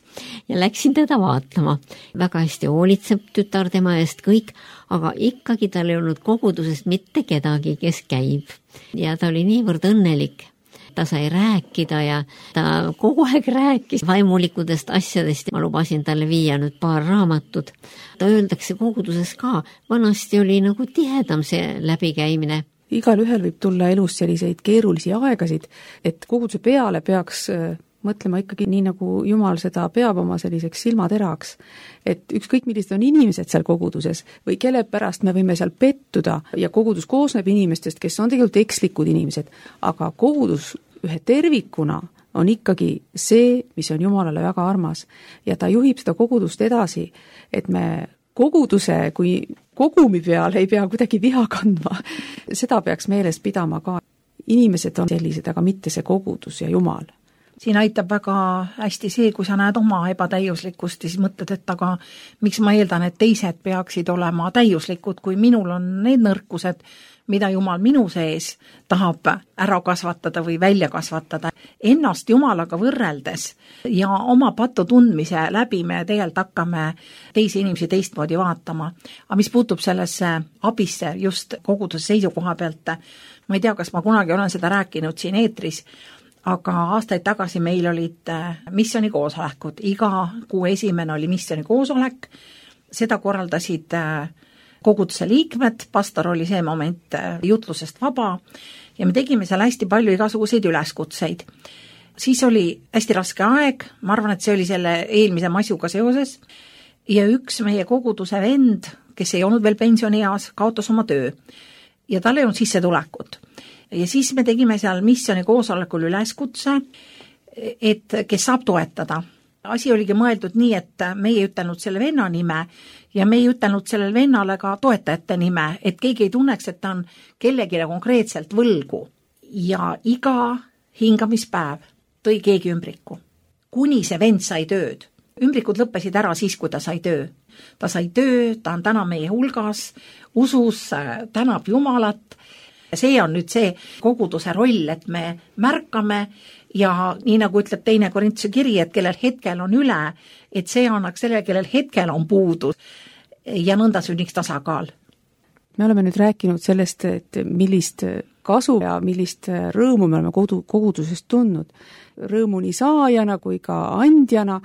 ja läksin teda vaatama. Väga hästi hoolitseb tütar tema eest kõik, aga ikkagi tal ei olnud kogudusest mitte kedagi, kes käib. Ja ta oli niivõrd õnnelik. Ta sai rääkida ja ta kogu aeg rääkis vaimulikudest asjadest. Ma lubasin talle viia nüüd paar raamatut. Ta öeldakse koguduses ka, vanasti oli nagu tihedam see läbikäimine. igal ühel võib tulla elus selliseid keerulisi aegasid, et koguduse peale peaks mõtlema ikkagi nii, nagu Jumal seda peab oma selliseks silmateraks. Et ükskõik, millised on inimesed seal koguduses või kelle pärast me võime seal pettuda ja kogudus koosneb inimestest, kes on tegelikult ekslikud inimesed, aga kogudus ühe tervikuna on ikkagi see, mis on Jumalale väga armas ja ta juhib seda kogudust edasi, et me koguduse kui kogumi peal ei pea kuidagi viha kandma. Seda peaks meeles pidama ka. Inimesed on sellised, aga mitte see kogudus ja Jumal. Siin aitab väga hästi see, kui sa näed oma ebatäiuslikkust ja siis mõtled, et aga miks ma eeldan, et teised peaksid olema täiuslikud, kui minul on need nõrkused, mida Jumal minu sees tahab ära kasvatada või välja kasvatada. Ennast Jumalaga võrreldes ja oma pattu tundmise läbi me tegelikult hakkame teisi inimesi teistmoodi vaatama. Aga mis puutub sellesse abisse just koguduse seisukoha pealt, ma ei tea, kas ma kunagi olen seda rääkinud siin eetris, aga aastaid tagasi meil olid missionikoosolekud. Iga kuu esimene oli missionikoosolek, seda korraldasid koguduse liikmed, pastor oli see moment jutlusest vaba ja me tegime seal hästi palju igasuguseid üleskutseid. Siis oli hästi raske aeg, ma arvan, et see oli selle eelmise masjuga seoses ja üks meie koguduse vend, kes ei olnud veel pensionieas, kaotas oma töö ja tal ei olnud sissetulekut. Ja siis me tegime seal missiooni koosolekul üleskutse, et kes saab toetada. Asi oligi mõeldud nii, et me ei ütelnud selle venna nime ja me ei ütelnud sellele vennale ka toetajate nime, et keegi ei tunneks, et ta on kellegile konkreetselt võlgu. Ja iga hingamispäev tõi keegi ümbriku, kuni see vend sai tööd. Ümbrikud lõppesid ära siis, kui ta sai töö. Ta sai töö, ta on täna meie hulgas, usus tänab Jumalat. See on nüüd see koguduse roll, et me märkame ja nii nagu ütleb 2. Korintuse kiri, et kellel hetkel on üle, et see annaks sellele, kellel hetkel on puudu ja nõnda sünniks tasakaal. Me oleme nüüd rääkinud sellest, et millist kasu ja millist rõõmu me oleme kogudusest tundnud. Rõõmu nii saajana kui ka andjana,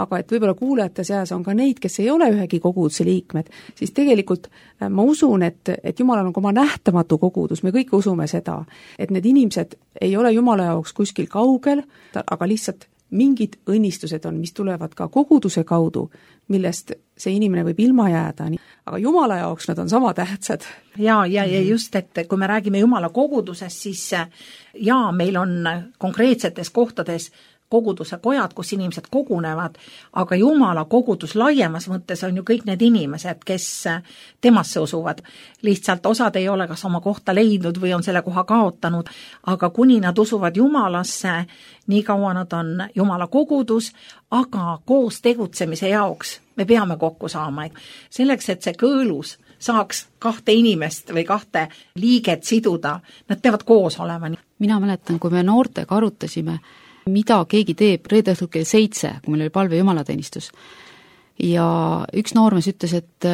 aga et võib-olla kuulajate seas on ka neid, kes ei ole ühegi koguduse liikmed, siis tegelikult ma usun, et Jumalal on ka oma nähtamatu kogudus, me kõik usume seda, et need inimesed ei ole Jumala jaoks kuskil kaugel, aga lihtsalt mingid õnnistused on, mis tulevad ka koguduse kaudu, millest see inimene võib ilma jääda, aga Jumala jaoks nad on sama tähtsad. Ja just, et kui me räägime Jumala kogudusest, siis meil on konkreetsetes kohtades koguduse kojad, kus inimesed kogunevad, aga Jumala kogudus laiemas mõttes on ju kõik need inimesed, kes temasse usuvad. Lihtsalt osad ei ole kas oma kohta leidnud või on selle koha kaotanud, aga kuni nad usuvad Jumalasse, nii kaua nad on Jumala kogudus, aga koos tegutsemise jaoks me peame kokku saama. Selleks, et see kõõlus saaks 2 inimest või 2 liiget siduda, nad peavad koos olema. Mina mäletan, kui me noortega arutasime, mida keegi teeb reede õhtul kell 7, kui meil oli palve jumalateenistus. Ja üks noormees ütles, et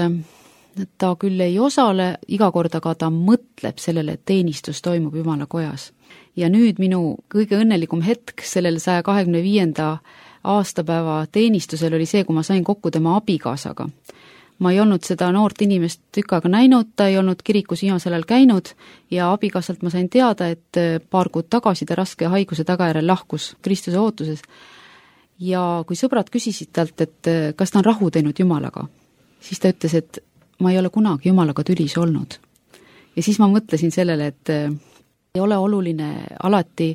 ta küll ei osale iga kord, aga ta mõtleb sellele, et teenistus toimub Jumala kojas. Ja nüüd minu kõige õnnelikum hetk sellel 125. aastapäeva teenistusel oli see, kui ma sain kokku tema abikaasaga. Ma ei olnud seda noort inimest tükk aega näinud, ta ei olnud kirikus viimasel ajal käinud ja abikaasalt ma sain teada, et paar kuud tagasi ta raske haiguse tagajärjel lahkus Kristuse ootuses. Ja kui sõbrad küsisid talt, et kas ta on rahu teinud Jumalaga, siis ta ütles, et ma ei ole kunagi Jumalaga tülis olnud. Ja siis ma mõtlesin sellele, et ei ole oluline alati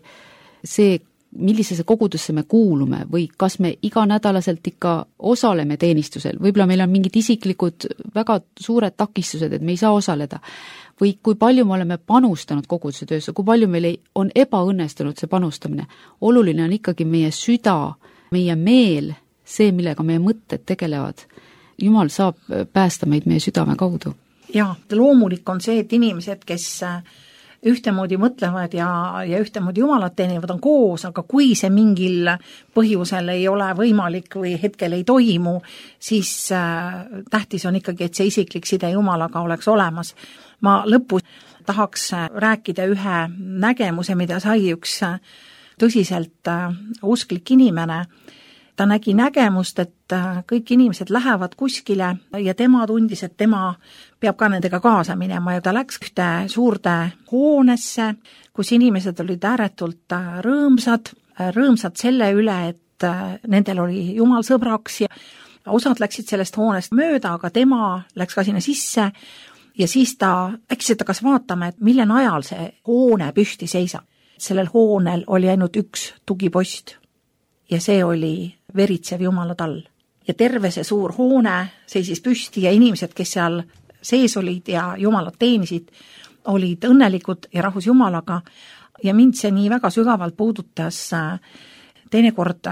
see, millisesse kogudusse me kuulume või kas me iganädalaselt ikka osaleme teenistusel, võib-olla meil on mingid isiklikud väga suured takistused, et me ei saa osaleda, või kui palju me oleme panustanud koguduse töösse, kui palju meil on ebaõnnestunud see panustamine. Oluline on ikkagi meie süda, meie meel, see, millega meie mõtted tegelevad. Jumal saab päästa meid meie südame kaudu. Ja, loomulik on see, et inimesed, kes ühtemoodi mõtlevad ja ühtemoodi Jumalat teenivad on koos, aga kui see mingil põhjusel ei ole võimalik või hetkel ei toimu, siis tähtis on ikkagi, et see isiklik side Jumalaga oleks olemas. Ma lõpus tahaks rääkida ühe nägemuse, mida sai üks tõsiselt usklik inimene, ta nägi nägemust, et kõik inimesed lähevad kuskile ja tema tundis, et tema peab ka nendega kaasa minema ja ta läks ühte suurde hoonesse, kus inimesed olid ääretult rõõmsad selle üle, et nendel oli Jumal sõbraks ja osad läksid sellest hoonest mööda, aga tema läks ka sinna sisse ja siis ta äkki hakkas vaatama, et mille najal see hoone püsti seisab. Sellel hoonel oli ainult üks tugipost ja see oli veritsev Jumala tall. Ja terve see suur hoone seisis püsti ja inimesed, kes seal sees olid ja Jumalat teenisid, olid õnnelikud ja rahus Jumalaga ja mind see nii väga sügavalt puudutas. Teinekord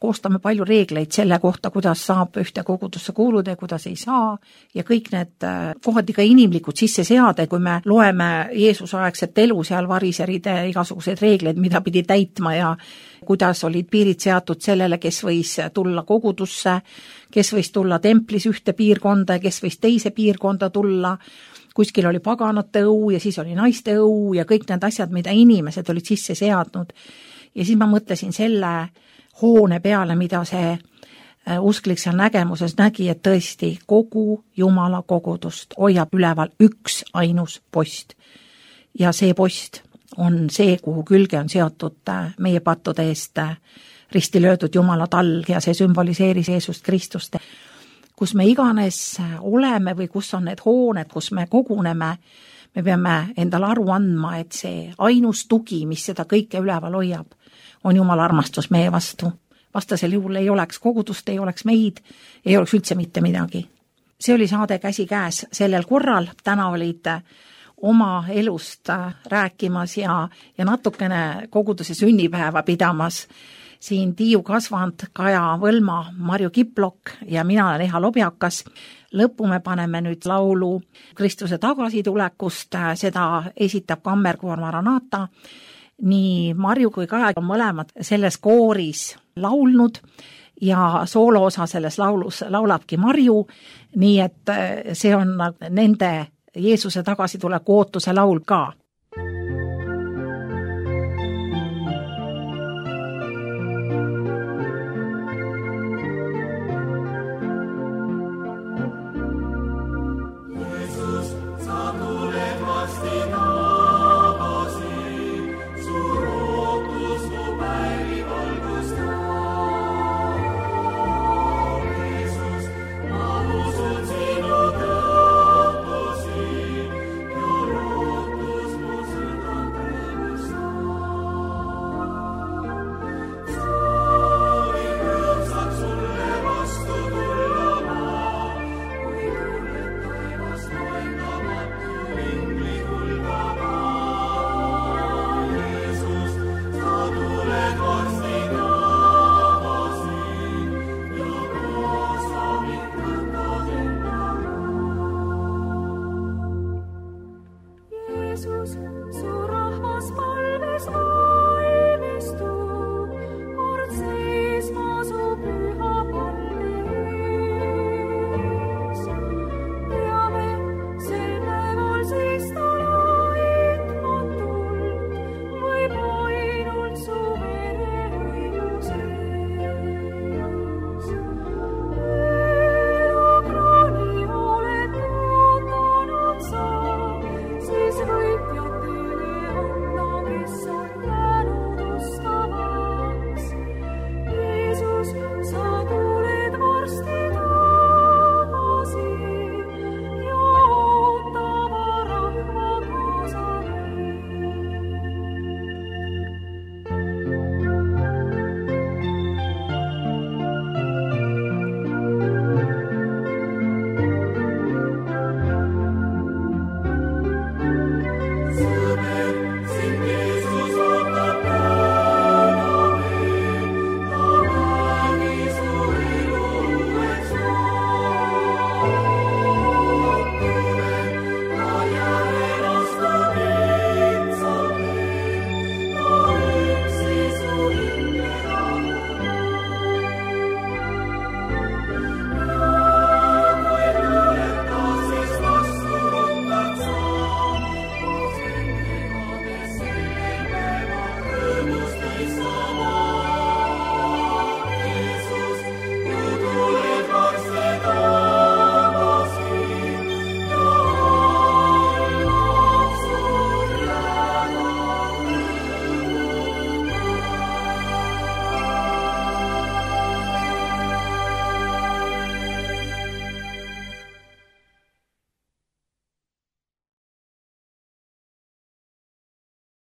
koostame palju reegleid selle kohta, kuidas saab ühte kogudusse kuuluda ja kuidas ei saa ja kõik need kohati ka inimlikud sisse seada, kui me loeme Jeesuse aegset elu seal variseride igasuguseid reegleid, mida pidi täitma ja kuidas olid piirid seatud sellele, kes võis tulla kogudusse, kes võis tulla templis ühte piirkonda ja kes võis teise piirkonda tulla, kuskil oli paganate õu ja siis oli naiste õu ja kõik need asjad, mida inimesed olid sisse seadnud. Ja siis ma mõtlesin selle hoone peale, mida see usklik seal nägemuses nägi, et tõesti kogu Jumala kogudust hoiab üleval üks ainus post. Ja see post on see, kuhu külge on seotud meie pattude eest risti löödud Jumala tall ja see sümboliseeris Jeesust Kristust. Kus me iganes oleme või kus on need hooned, kus me koguneme, me peame endale aru andma, et see ainus tugi, mis seda kõike üleval hoiab, on Jumala armastus meie vastu. Vastasel juhul ei oleks kogudust, ei oleks meid, ei oleks üldse mitte midagi. See oli saade Käsi käes sellel korral, täna olid oma elust rääkimas ja natukene koguduse sünnipäeva pidamas siin Tiiu Kasvand, Kaja Võlma, Marju Kiplok ja mina olen Eha Lobjakas. Lõppu me paneme nüüd laulu Kristuse tagasitulekust, seda esitab kammerkoor Maranata. Nii Marju kui Kaja on mõlemad selles kooris laulnud ja sooloosa selles laulus laulabki Marju, nii et see on nende Jeesuse tagasituleku ootuse laul ka. Jesus.